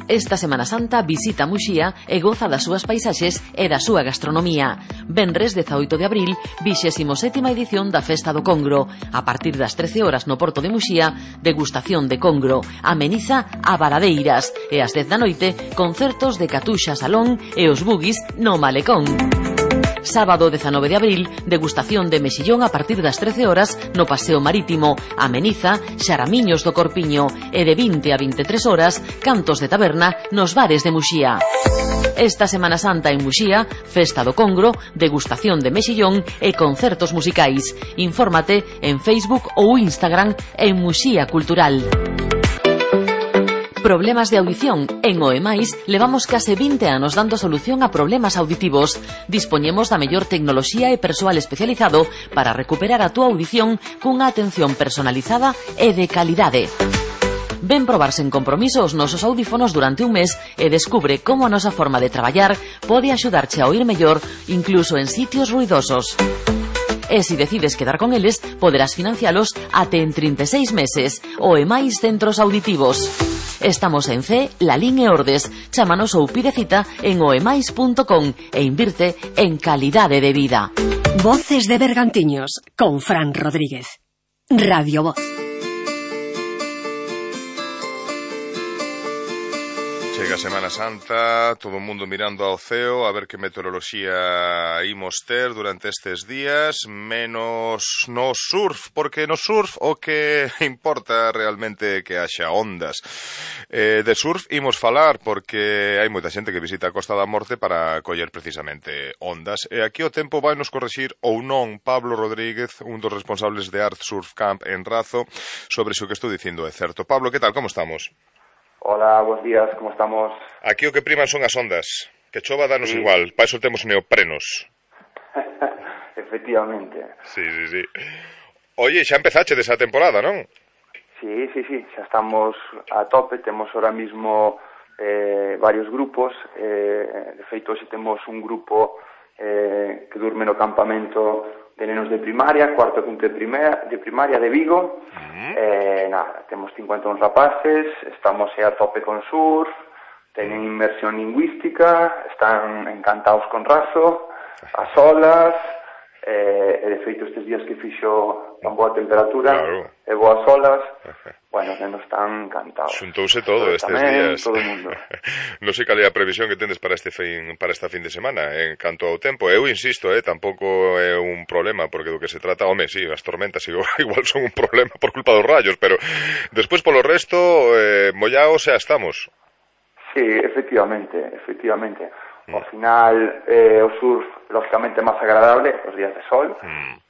Esta Semana Santa visita Muxía e goza das súas paisaxes e da súa gastronomía. Venres 18 de abril, 27ª edición da Festa do Congro. A partir das 13 horas no Porto de Muxía, degustación de congro. Ameniza a Varadeiras. E ás 10 da noite, concertos de Catuxa Salón e os Bugis no Malecón. Sábado 19 de abril, degustación de mexillón a partir das 13 horas no Paseo Marítimo. Ameniza, xaramiños do Corpiño. E de 20 a 23 horas, cantos de taberna nos bares de Muxía. Esta Semana Santa en Muxía, Festa do Congro, degustación de mexillón e concertos musicais. Infórmate en Facebook ou Instagram en Muxía Cultural. Problemas de audición. En OEMAIS levamos case 20 anos dando solución a problemas auditivos. Dispoñemos da mellor tecnoloxía e persoal especializado para recuperar a túa audición cunha atención personalizada e de calidade. Ven probar sen compromiso os nosos audífonos durante un mes e descubre como a nosa forma de traballar pode axudarche a oír mellor incluso en sitios ruidosos. E se decides quedar con eles, poderás financialos até en 36 meses. OEMAIS Centros Auditivos. Estamos en C, Lalín e Ordes. Chámanos ou pide cita en oemais.com e invirte en calidade de vida. Voces de Bergantiños, con Fran Rodríguez. Radio Voz. Chega Semana Santa, todo o mundo mirando ao ceo a ver que meteoroloxía imos ter durante estes días, menos no surf, porque no surf o que importa realmente que haxa ondas. De surf imos falar porque hai moita xente que visita a Costa da Morte para coller precisamente ondas. E aquí o tempo vai nos correxir ou non Pablo Rodríguez, un dos responsables de Art Surf Camp en Razo, sobre se o que estou dicindo é certo. Pablo, que tal, como estamos? Hola, buenos días, ¿cómo estamos? Aquí o que priman son as ondas. Que chova danos igual, para iso temos neoprenos. Efectivamente. Sí. Oye, xa empezache desa temporada, non? Sí, xa estamos a tope, temos ahora mismo varios grupos, de feito, hoxe temos un grupo que durme no campamento de nenos de primaria, cuarto e quinto de primaria de Vigo. Temos 51 rapaces, estamos a tope con surf, teñen inmersión lingüística, están encantados con Razo, as olas, e de feito estes días que fixo tan boa temperatura e boas olas, bueno, que nos están encantados. Xuntouse todo estes días. Todo o mundo. Non sei cal é a previsión que tendes para esta fin de semana en canto ao tempo. Eu insisto, tampouco é un problema, porque do que se trata, home, sí, as tormentas igual son un problema por culpa dos rayos, pero despois polo resto, mollaos xa estamos. Sí, efectivamente. Ao final, o surf, lógicamente, é máis agradable os días de sol,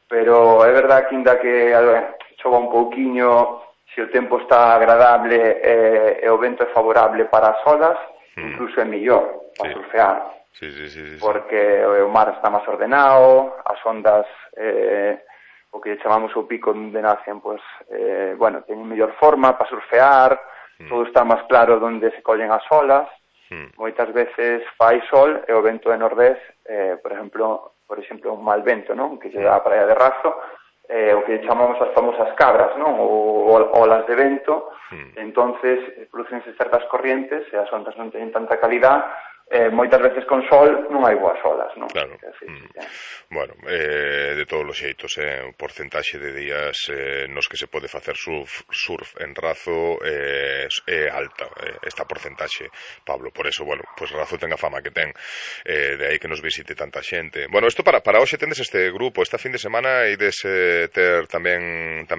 pero é verdad que ainda que chova un pouquiño, se o tempo está agradable e o vento é favorable para as olas, incluso é mellor para surfear. Sí. Porque o mar está máis ordenado, as ondas, o que chamamos o pico de Nacen, pues, bueno, teñen mellor forma para surfear, todo está máis claro onde se collen as olas. Moitas veces fai sol e o vento é nordés, por exemplo, un mal vento, non? Que lle dá a praia de Razo, o que chamamos as famosas cabras, non? Ou olas de vento, entonces producense certas corrientes e as ondas non teñen tanta calidad, moitas veces con sol non hai boas olas, non? Claro. Bueno, de todos os xeitos, o porcentaxe de días nos que se pode facer surf en Razo é alta, esta porcentaxe, Pablo, por eso, bueno, pues Razo ten a fama que ten, de aí que nos visite tanta xente. Bueno, isto para hoxe tendes este grupo, esta fin de semana ides ter tamén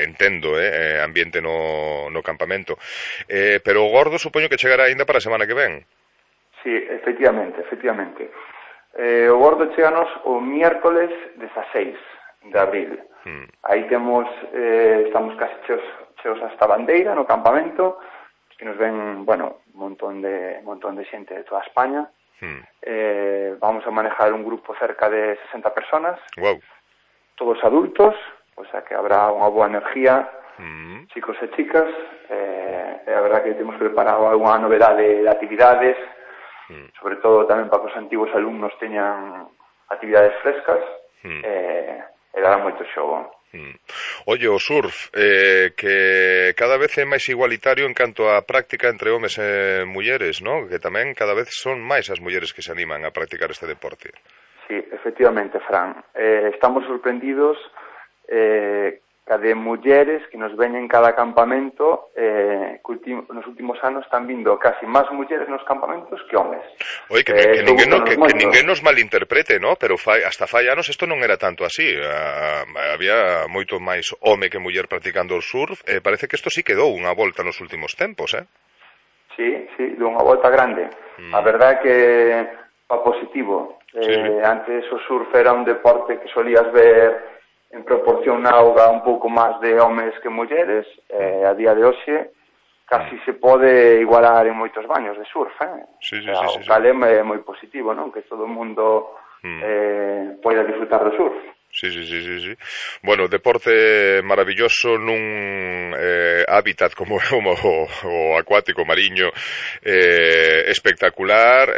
entendo, ambiente no campamento, pero o gordo supoño que chegará aínda para a semana que ven. Sí, efectivamente. O gordo cheganos o miércoles 16 de abril. Aí estamos casi cheos hasta bandeira no campamento, que nos ven, bueno, un montón de xente de toda España. Vamos a manejar un grupo cerca de 60 personas, todos adultos, o sea que habrá unha boa energía, chicos e chicas, e a verdad que temos preparado algunha novedade de actividades, sobre todo tamén para que os antigos alumnos teñan actividades frescas, e dará moito xogo. Oye, o surf, que cada vez é máis igualitario en canto á práctica entre homes e mulleres, non? Que tamén cada vez son máis as mulleres que se animan a practicar este deporte. Sí, efectivamente, Fran. Estamos sorprendidos de mulleres que nos veñen cada campamento, nos últimos anos están vindo casi máis mulleres nos campamentos que homes. Oye, que ninguén nos malinterprete, ¿no? Pero hasta fai anos isto non era tanto así. Había moito máis home que muller practicando o surf. Parece que isto sí quedou unha volta nos últimos tempos, Sí, dou unha volta grande. A verdade é que pa positivo. Antes o surf era un deporte que solías ver en proporción na auga un pouco máis de homes que mulleres, a día de hoxe casi se pode igualar en moitos baños de surf, o cal é moi positivo, non? Que todo o mundo poida disfrutar do surf. Sí. Bueno, deporte maravilloso nun hábitat como o acuático mariño, espectacular.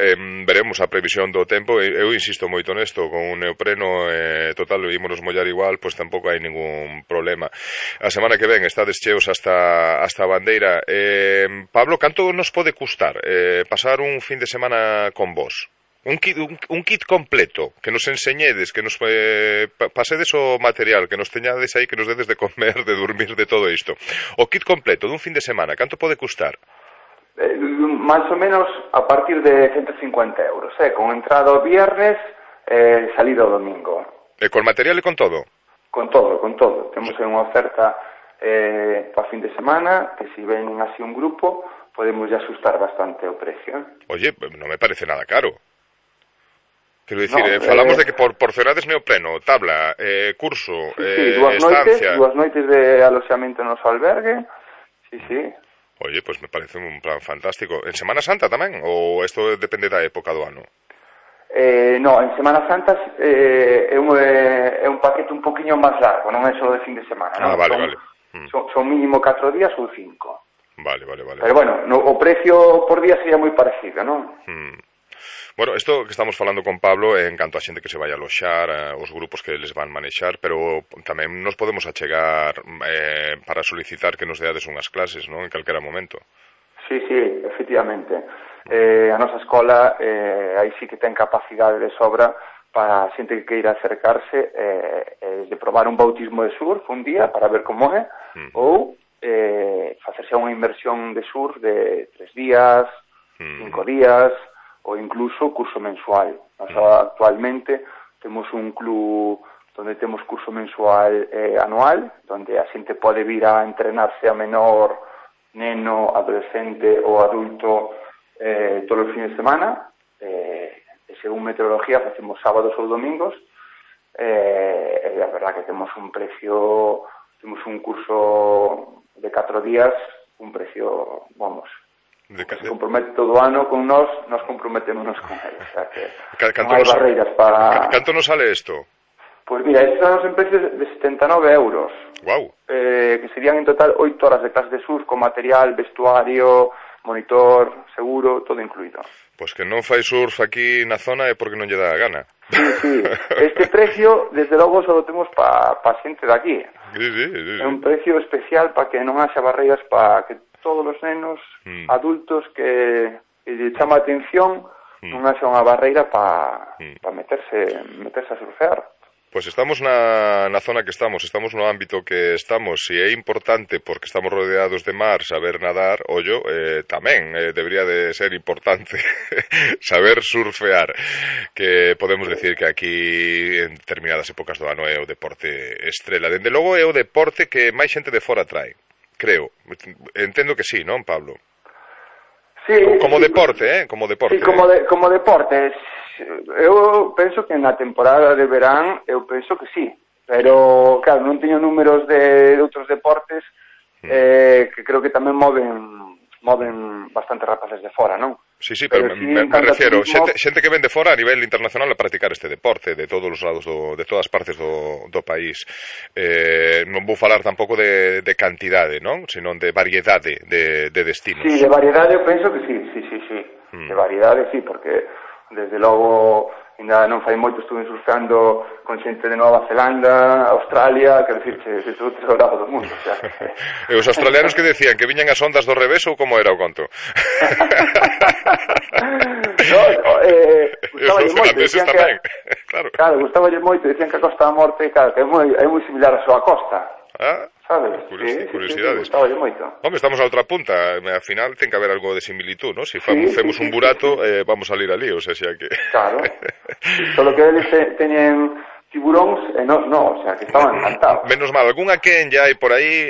Veremos a previsión do tempo. Eu insisto moito nesto, con un neopreno total, ímonos mollar igual, pois tampouco hai ningún problema. A semana que ven estades cheos hasta a bandeira. Pablo, canto nos pode custar pasar un fin de semana con vos? Un kit completo, que nos enseñedes, que nos pasedes o material, que nos teñades aí, que nos dedes de comer, de dormir, de todo isto. O kit completo dun fin de semana, canto pode custar? Más o menos a partir de 150 euros, con entrada o viernes, salida o domingo. Con material e con todo? Con todo. Temos unha oferta para fin de semana, que si ven así un grupo, podemos ya asustar bastante o precio. Oye, non me parece nada caro. Quero dicir, falamos de que por porcelades neopreno, tabla, curso, estancia... Dúas noites de aloxamento no noso albergue, sí. Oye, pues me parece un plan fantástico. En Semana Santa tamén? Ou isto depende da época do ano? No, en Semana Santa é un paquete un poquinho máis largo, non é só de fin de semana. Vale. Son mínimo 4 días ou 5. Vale. Pero bueno, o precio por día sería moi parecido, non? Bueno, isto que estamos falando con Pablo en canto a xente que se vai aloxar, os grupos que les van manexar, pero tamén nos podemos achegar para solicitar que nos deades unhas clases, non? En calquera momento. Sí, efectivamente. A nosa escola aí sí que ten capacidade de sobra para a xente que queira acercarse de probar un bautismo de surf un día para ver como é, ou facerse unha inmersión de surf de 3 días, 5 días, ou incluso curso mensual. Actualmente temos un club donde temos curso mensual anual, donde a xente pode vir a entrenarse a menor, neno, adolescente ou adulto todos os fines de semana. Según meteorología facemos sábados ou domingos. A verdad que temos un precio, temos un curso de 4 días, un precio, se compromete todo o ano con nós comprometémonos con ele. O sea que non hai barreiras para... Canto nos sale isto? Pois mira, estes son en precios de 79 euros. Guau. Que serían en total 8 horas de clase de surf con material, vestuario, monitor, seguro, todo incluído. Pois que non fai surf aquí na zona é porque non lle dá a gana. Sí. Este precio, desde logo, só lo temos para xente de aquí. Sí. É un precio especial para que non haxa barreiras para que todos os nenos adultos que lle chama a atención non haxa unha barreira para meterse a surfear. Pois estamos na zona que estamos no ámbito que estamos, e é importante porque estamos rodeados de mar saber nadar, tamén debería de ser importante saber surfear, que podemos decir que aquí en determinadas épocas do ano é o deporte estrela. Dende logo é o deporte que máis xente de fora trae, creo. Entendo que sí, non, Pablo? Sí. Como deporte, Como deporte. Sí, como deporte. Eu penso que na temporada de verán, eu penso que sí. Pero, claro, non teño números de outros deportes que creo que tamén moven bastante rapaces de fora, non? Sí, pero me refiero, xente que ven de fora a nivel internacional a practicar este deporte de todos os lados, de todas partes do país. Non vou falar tampouco de cantidade, non? Senón de variedade de destinos. Sí, de variedade eu penso que sí. De variedade sí, porque desde logo ainda non fai moito estuve surfando con xente de Nova Zelanda, Australia, quero dicir que todo o lado do mundo, o sea, E os australianos que decían que viñan as ondas do revés ou como era o conto? Gustaballe moito, decían que claro, gustaballe moito, decían que a Costa da Morte, claro, que é moi similar a súa costa. sabes? Curiosidades. Sí, moito. Home, estamos a outra punta, ao final ten que haber algo de similitud, ¿no? Si facemos un burato, vamos a salir ali, o sea, que... Claro. Solo que eles teñen tiburóns e nós non, o sea, que estaban encantados. Menos mal, algunha quen ya hai por aí,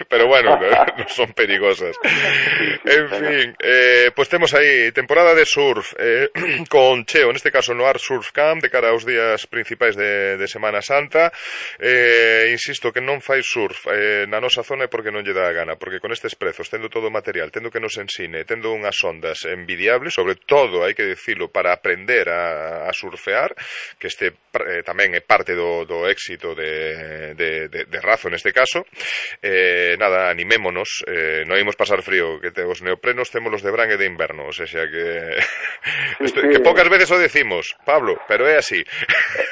pero bueno, non son perigosas. En fin, pues temos aí temporada de surf con Cheo, neste caso no Art Surf Camp, de cara aos días principais de Semana Santa. Insisto que non fai surf na nosa zona é porque non lle dá a gana, porque con estes prezos, tendo todo o material, tendo que nos ensine, tendo unhas ondas envidiables, sobre todo, hai que dicilo, para aprender a surfear, que este tamén é parte do éxito de Razo neste caso. Nada, animémonos, non imos pasar frío, que os neoprenos témolos de verán e de inverno, o sea que que poucas veces o decimos, Pablo, pero é así.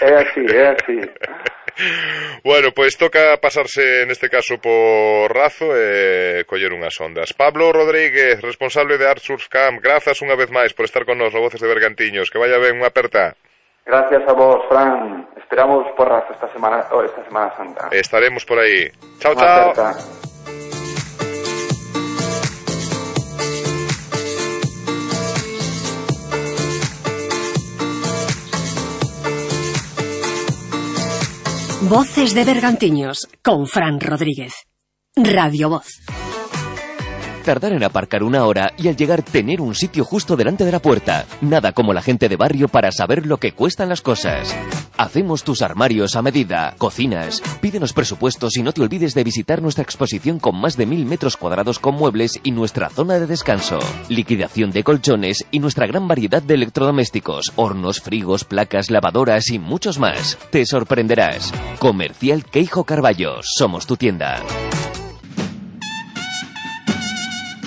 É así. Bueno, pois toca pasarse neste caso por Razo e coller unhas ondas. Pablo Rodríguez, responsable de Art Surf Camp, grazas unha vez máis por estar con nos no Voces de Bergantiños, que vaya ben, unha aperta. Gracias a vos, Fran. Esperamos por Razo esta Semana Santa. Estaremos por aí. Chao, chao. Voces de Bergantiños, con Fran Rodríguez. Radio Voz. Tardar en aparcar 1 hora y al llegar tener un sitio justo delante de la puerta. Nada como la gente de barrio para saber lo que cuestan las cosas. Hacemos tus armarios a medida, cocinas. Pídenos presupuestos y no te olvides de visitar nuestra exposición con más de 1000 metros cuadrados con muebles y nuestra zona de descanso. Liquidación de colchones y nuestra gran variedad de electrodomésticos, hornos, frigos, placas, lavadoras y muchos más. Te sorprenderás. Comercial Queijo Carballo. Somos tu tienda.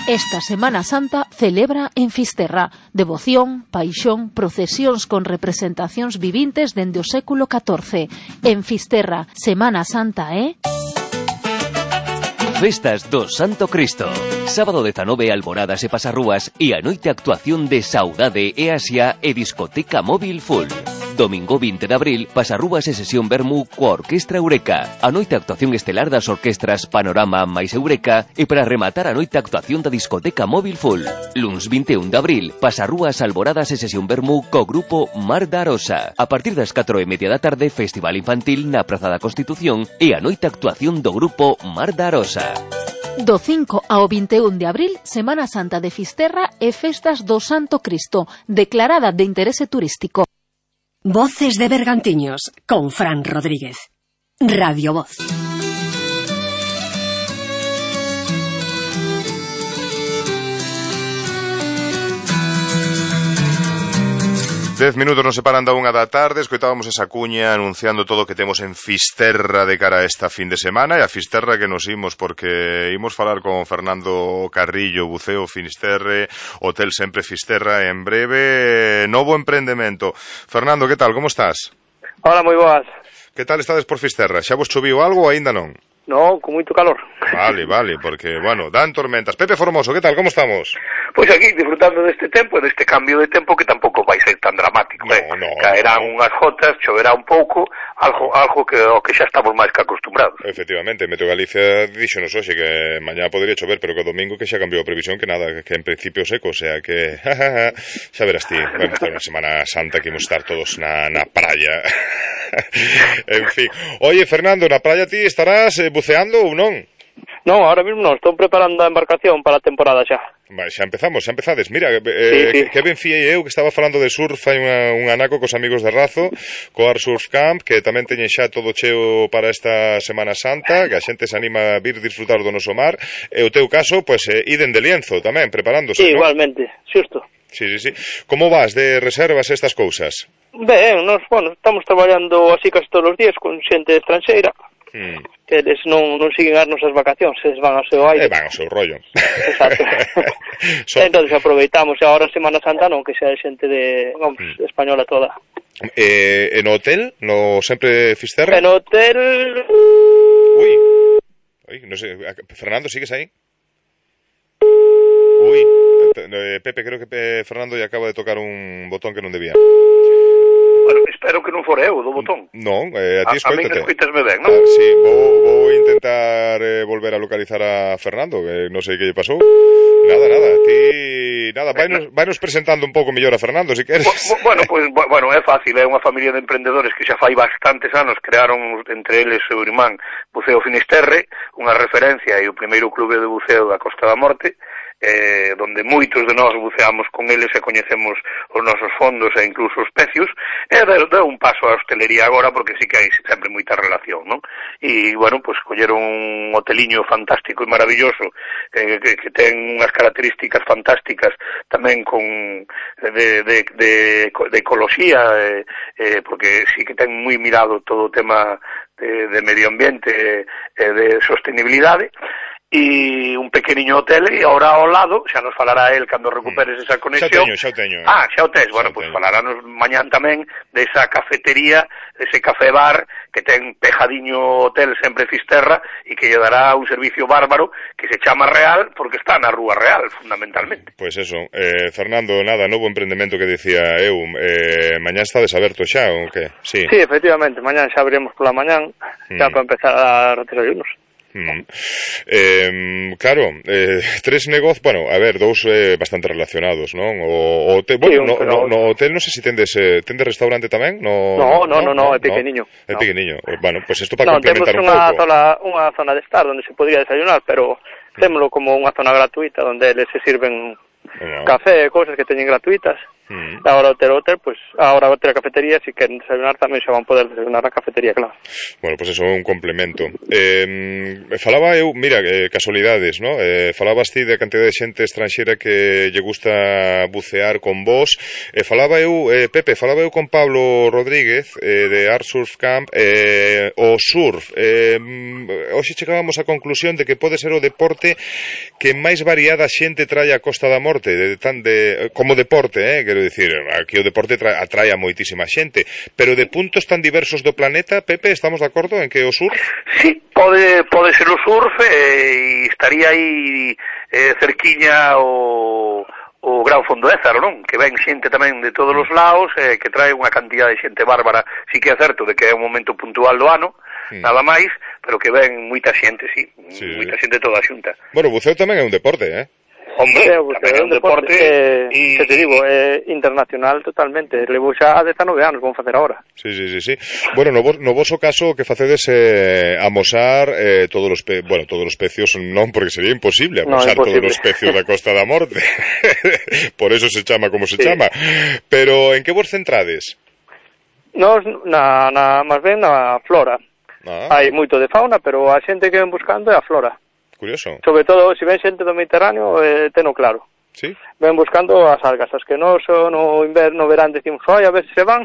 Esta Semana Santa celebra en Fisterra devoción, paixón, procesións con representacións vivintes dende o século XIV. En Fisterra, Semana Santa Festas do Santo Cristo. Sábado 19, alboradas e pasarrúas e a noite actuación de Saudade e Asia e discoteca móvil full. Domingo 20 de abril, pasarrúas e sesión vermú coa Orquestra Eureka. A noite actuación estelar das orquestras Panorama máis Eureka e para rematar a noite actuación da discoteca móvil full. Luns 21 de abril, pasarrúas, alboradas e sesión vermú co grupo Mar da Arosa. A partir das 4:30 da tarde, festival infantil na Praza da Constitución e a noite actuación do grupo Mar da Arosa. Do 5 ao 21 de abril, Semana Santa de Fisterra e Festas do Santo Cristo, declarada de interese turístico. Voces de Bergantiños, con Fran Rodríguez. Radio Voz. 10 minutos nos separan da 1 da tarde. Escoitábamos esa cuña anunciando todo o que temos en Fisterra de cara a esta fin de semana. E a Fisterra que nos imos porque imos falar con Fernando Carrillo, Buceo Finisterre, Hotel Sempre Fisterra. En breve, novo emprendemento. Fernando, que tal? Como estás? Hola, moi boas. Que tal estades por Fisterra? Xa vos choviu algo ou aínda non? No, con moito calor. Vale, porque, bueno, dan tormentas. Pepe Formoso, que tal? Como estamos? Pois aquí, disfrutando deste tempo e deste cambio de tempo que tampouco vai ser tan dramático, Caerán unhas gotas, choverá un pouco, algo que o que xa estamos máis que acostumbrados. Efectivamente, Meteo Galicia díxonos hoxe que mañá podría chover, pero que o domingo que xa cambiou a previsión, que nada, que en principio seco, o sea que xa verás ti, vamos a estar unha Semana Santa que imos estar todos na praia. En fin. Oye, Fernando, na praia ti estarás buceando ou non? Non, ahora mismo non, estou preparando a embarcación para a temporada xa. Vai, xa empezades. Mira, sí. Que ben fiei eu que estaba falando de surf, hai un anaco cos amigos de Razo, co Art Surf Camp, que tamén teñen xa todo cheo para esta Semana Santa, que a xente se anima a vir disfrutar do noso mar, e o teu caso, pois, iden de lienzo tamén, preparándose, sí, ¿no? Igualmente, xusto. Sí. Como vas de reservas estas cousas? Ben, estamos traballando así casi todos os días con xente estranxeira. Que eles non siguen as nosas vacacións, eles van ao seu aire. Van ao seu rollo. Exacto. Entón aproveitamos, e agora Semana Santa non, que xa é xente de, española toda. E no hotel? No Sempre Fisterra? En hotel... Uy, no sé, Fernando, ¿sigues ahí? Uy, Pepe, creo que Fernando ya acaba de tocar un botón que non debía. Bueno, espero que non fore eu do botón. Non, a ti escoítate. A mí escoítasme ben, non? Sí, vou intentar volver a localizar a Fernando, que non sei que lle pasou. Nada, vainos presentando un pouco mellor a Fernando, se queres. Bueno, é fácil, é unha familia de emprendedores que xa fai bastantes anos crearon entre eles o seu irmán Buceo Finisterre, unha referencia e o primeiro clube de buceo da Costa da Morte, donde moitos de nós buceamos con eles e coñecemos os nosos fondos e incluso os pecios, e deu un paso á hostelería agora porque sí que hai sempre moita relación, non? E, bueno, pues colleron un hoteliño fantástico e maravilloso que ten unhas características fantásticas tamén con de ecoloxía, porque sí que ten moi mirado todo o tema de medio ambiente e de sostenibilidade, e un pequeniño hotel, e ahora ao lado xa nos falará el cando recuperes esa conexión. Xa o teño. Xa o tes, bueno, pois falarános mañán tamén desa cafetería, ese café bar que ten pejadiño Hotel Sempre Fisterra e que lle dará un servicio bárbaro que se chama Real porque está na Rúa Real, fundamentalmente. Pois eso, Fernando, nada, novo emprendemento que dicía eu, mañán estades aberto xa, ou que? Sí, efectivamente, mañán xa abriremos pola mañán, xa para empezar a desayunos. Claro, tres negocios, bueno, a ver, dous bastante relacionados, non? O hotel, bueno, sí, no hotel, non sei se tendes restaurante tamén? No, é pequeniño. É pequeniño. Bueno, pues isto para complementar un pouco. Unha zona de estar onde se podría desayunar, pero témolo como unha zona gratuita onde eles se sirven café e cousas que teñen gratuitas. Ahora hotel, pues ahora outra cafetería, si queren desayunar tamén xa van poder desayunar na cafetería, claro. Bueno, pues eso é un complemento. Falaba eu, mira, casualidades, ¿no? Falabas ti de cantidad de xente estranxera que lle gusta bucear con vos. Falaba eu, Pepe, con Pablo Rodríguez de Art Surf Camp, o surf. Hoxe chegábamos á conclusión de que pode ser o deporte que máis variada xente trae a Costa da Morte, como deporte, quero dicir, aquí o deporte atrae a moitísima xente, pero de puntos tan diversos do planeta, Pepe, estamos de acordo en que o surf? Sí, pode ser o surf e estaría aí cerquiña o Gran Fondo Ézaro, non? Que ven xente tamén de todos os lados, que trae unha cantidad de xente bárbara. Sí que é certo de que é un momento puntual do ano, nada máis, pero que ven moita xente, sí. Moita xente toda xunta. Bueno, o buceo tamén é un deporte, Hombre, é un deporte que te digo, é internacional totalmente. Levo xa 19 anos, vamos facer agora. Sí. Bueno, no voso caso o que facedes amosar todos os pecios, non, porque sería imposible amosar todos os pecios da Costa da Morte. Por eso se chama como se chama. Pero en que vos centrades? Nos, máis ben na flora. Hai moito de fauna, pero a xente que ven buscando é a flora. Curioso. Sobre todo, se ven xente do Mediterráneo, teno claro. Sí. Ven buscando as algas, as que no verán decimos, a ver se van,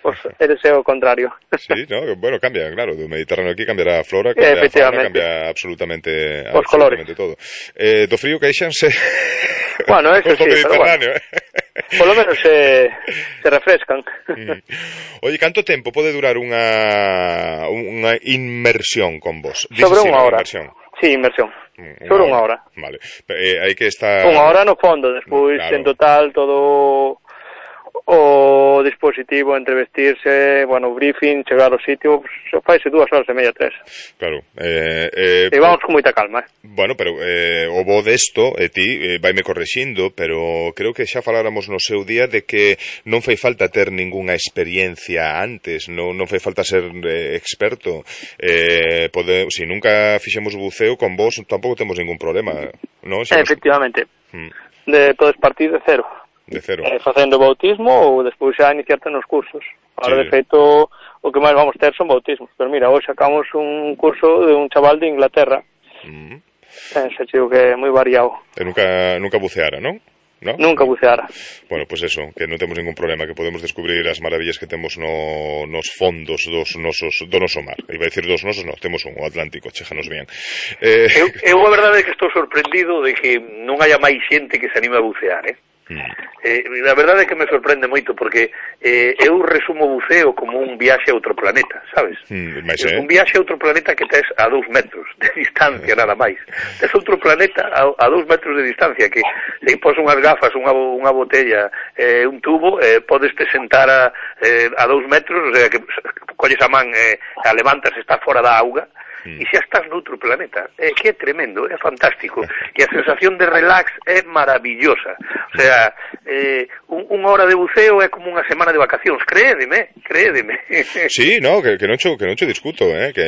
pues eres o contrario. Sí, no, bueno, cambia, claro, do Mediterráneo aquí cambiará a flora, cambia a fauna, cambia absolutamente todo. Do frío queixanse. Bueno, eso sí, pero bueno. Por lo menos se refrescan. Oye, canto tempo pode durar unha inmersión con vos? Sobre unha hora. Sí, inmersión. Sobre unha hora. Vale. Hai que estar... Unha hora no fondo, despois en total todo o dispositivo entre vestirse, bueno, briefing, chegar ao sitio, faise 2 horas e media, 3. Claro. E vamos con moita calma, Bueno, pero o bo desto, ti, vaime correxindo, pero creo que xa faláramos no seu día de que non fai falta ter ningunha experiencia antes, non fai falta ser experto. Si nunca fixemos buceo con vos, tampouco temos ningún problema, non? Efectivamente. Podes partir de cero. De cero. Facendo bautismo ou despois xa iniciarte nos cursos. Ahora, de feito, o que máis vamos ter son bautismos. Pero mira, hoxe sacamos un curso de un chaval de Inglaterra. Xa digo que é moi variado. E nunca buceara, non? ¿No? Nunca buceara. Bueno, pues eso, que non temos ningún problema, que podemos descubrir as maravillas que temos nos fondos do noso mar. Iba a dicir dos nosos, no, temos un, o Atlántico, chéjanos bien. Eu a verdade é que estou sorprendido de que non haya máis xente que se anime a bucear, a verdade é que me sorprende moito porque eu resumo o buceo como un viaxe a outro planeta, sabes? Un viaxe a outro planeta que tes a 2 metros de distancia nada máis. Tes outro planeta a 2 metros de distancia que se pos unhas gafas, unha botella, un tubo, podes te sentar a 2 metros, o sea, que colles a man, a levantas, está fora da auga, e xa estás noutro planeta, que é tremendo, é fantástico, e a sensación de relax é maravillosa, o sea, unha hora de buceo é como unha semana de vacacións, créedeme. Sí, no, que non cho discuto, que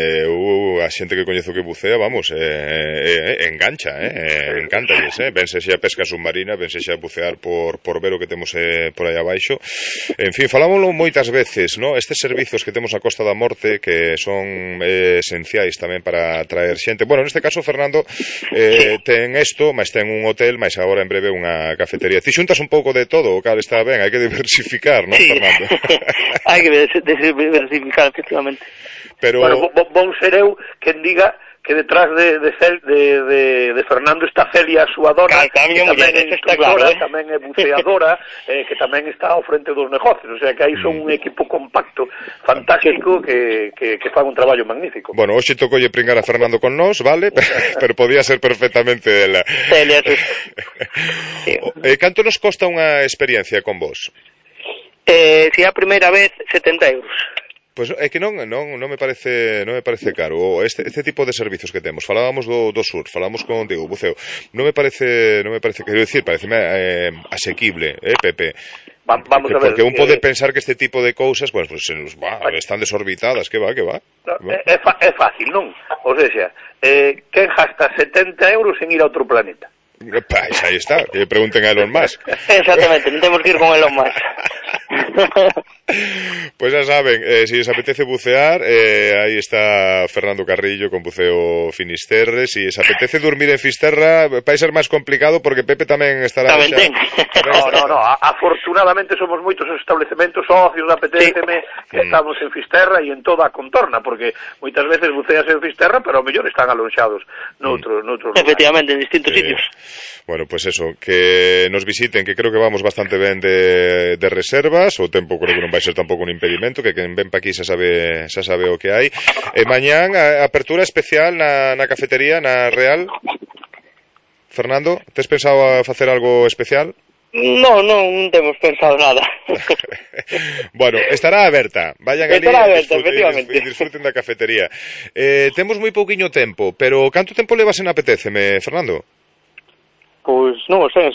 a xente que coñezo que bucea, vamos, engancha, encántalles, vense xa pesca submarina, vense xa bucear por ver o que temos por aí abaixo, en fin, falámoslo moitas veces, no? Estes servizos que temos a Costa da Morte que son esenciais tamén para traer xente. Bueno, neste caso, Fernando, ten isto, máis ten un hotel, máis agora en breve unha cafetería. Ti xuntas un pouco de todo, o cal está ben, hai que diversificar, non, sí. Fernando? Hai que diversificar, efectivamente. Pero... Bueno, bon ser eu quen diga que detrás de Fernando está Celia, a súa dona, que tamén é escritora, tamén é buceadora, que tamén está ao frente dos negocios, o sea que aí son un equipo compacto, fantástico, que fan un traballo magnífico. Bueno, hoxe tocolle pringar a Fernando con nós, vale? Pero podía ser perfectamente ela. Celia, sí. Canto nos costa unha experiencia con vos? Si a primeira vez, 70 euros. Pois é que non me parece caro este tipo de servizos que temos. Falábamos do surf, falamos contigo, buceo. Non me parece, quero dicir, pareceme asequible, Pepe. Vamos a ver. Porque un pode pensar que este tipo de cousas, pues están desorbitadas, que va. É fácil, non? O sea, quen gasta 70 euros en ir a outro planeta? Pues aí está, que pregunten a Elon Musk. Exactamente, non temos que ir con Elon Musk. Pues ya saben, si os apetece bucear, ahí está Fernando Carrillo con Buceo Finisterre. Si os apetece dormir en Fisterra, vai ser máis complicado porque Pepe tamén estará... No, afortunadamente somos moitos os establecementos socios da PTFM que estamos en Fisterra e en toda a contorna, porque moitas veces buceas en Fisterra, pero ao mellor están alonxados noutros lugares. Efectivamente, en distintos sitios. Bueno, pues eso, que nos visiten, que creo que vamos bastante ben de reservas, o tempo creo que non vai ser tampouco un impedimento, que quen ven pa aquí xa sabe o que hai. Mañán, apertura especial na cafetería, na Real. Fernando, tes pensado facer algo especial? Non temos pensado nada. Bueno, estará aberta. Vayan ali e disfruten da cafetería. Temos moi pouquiño tempo, pero canto tempo levas en Apetéceme, Fernando? Pois non o sei,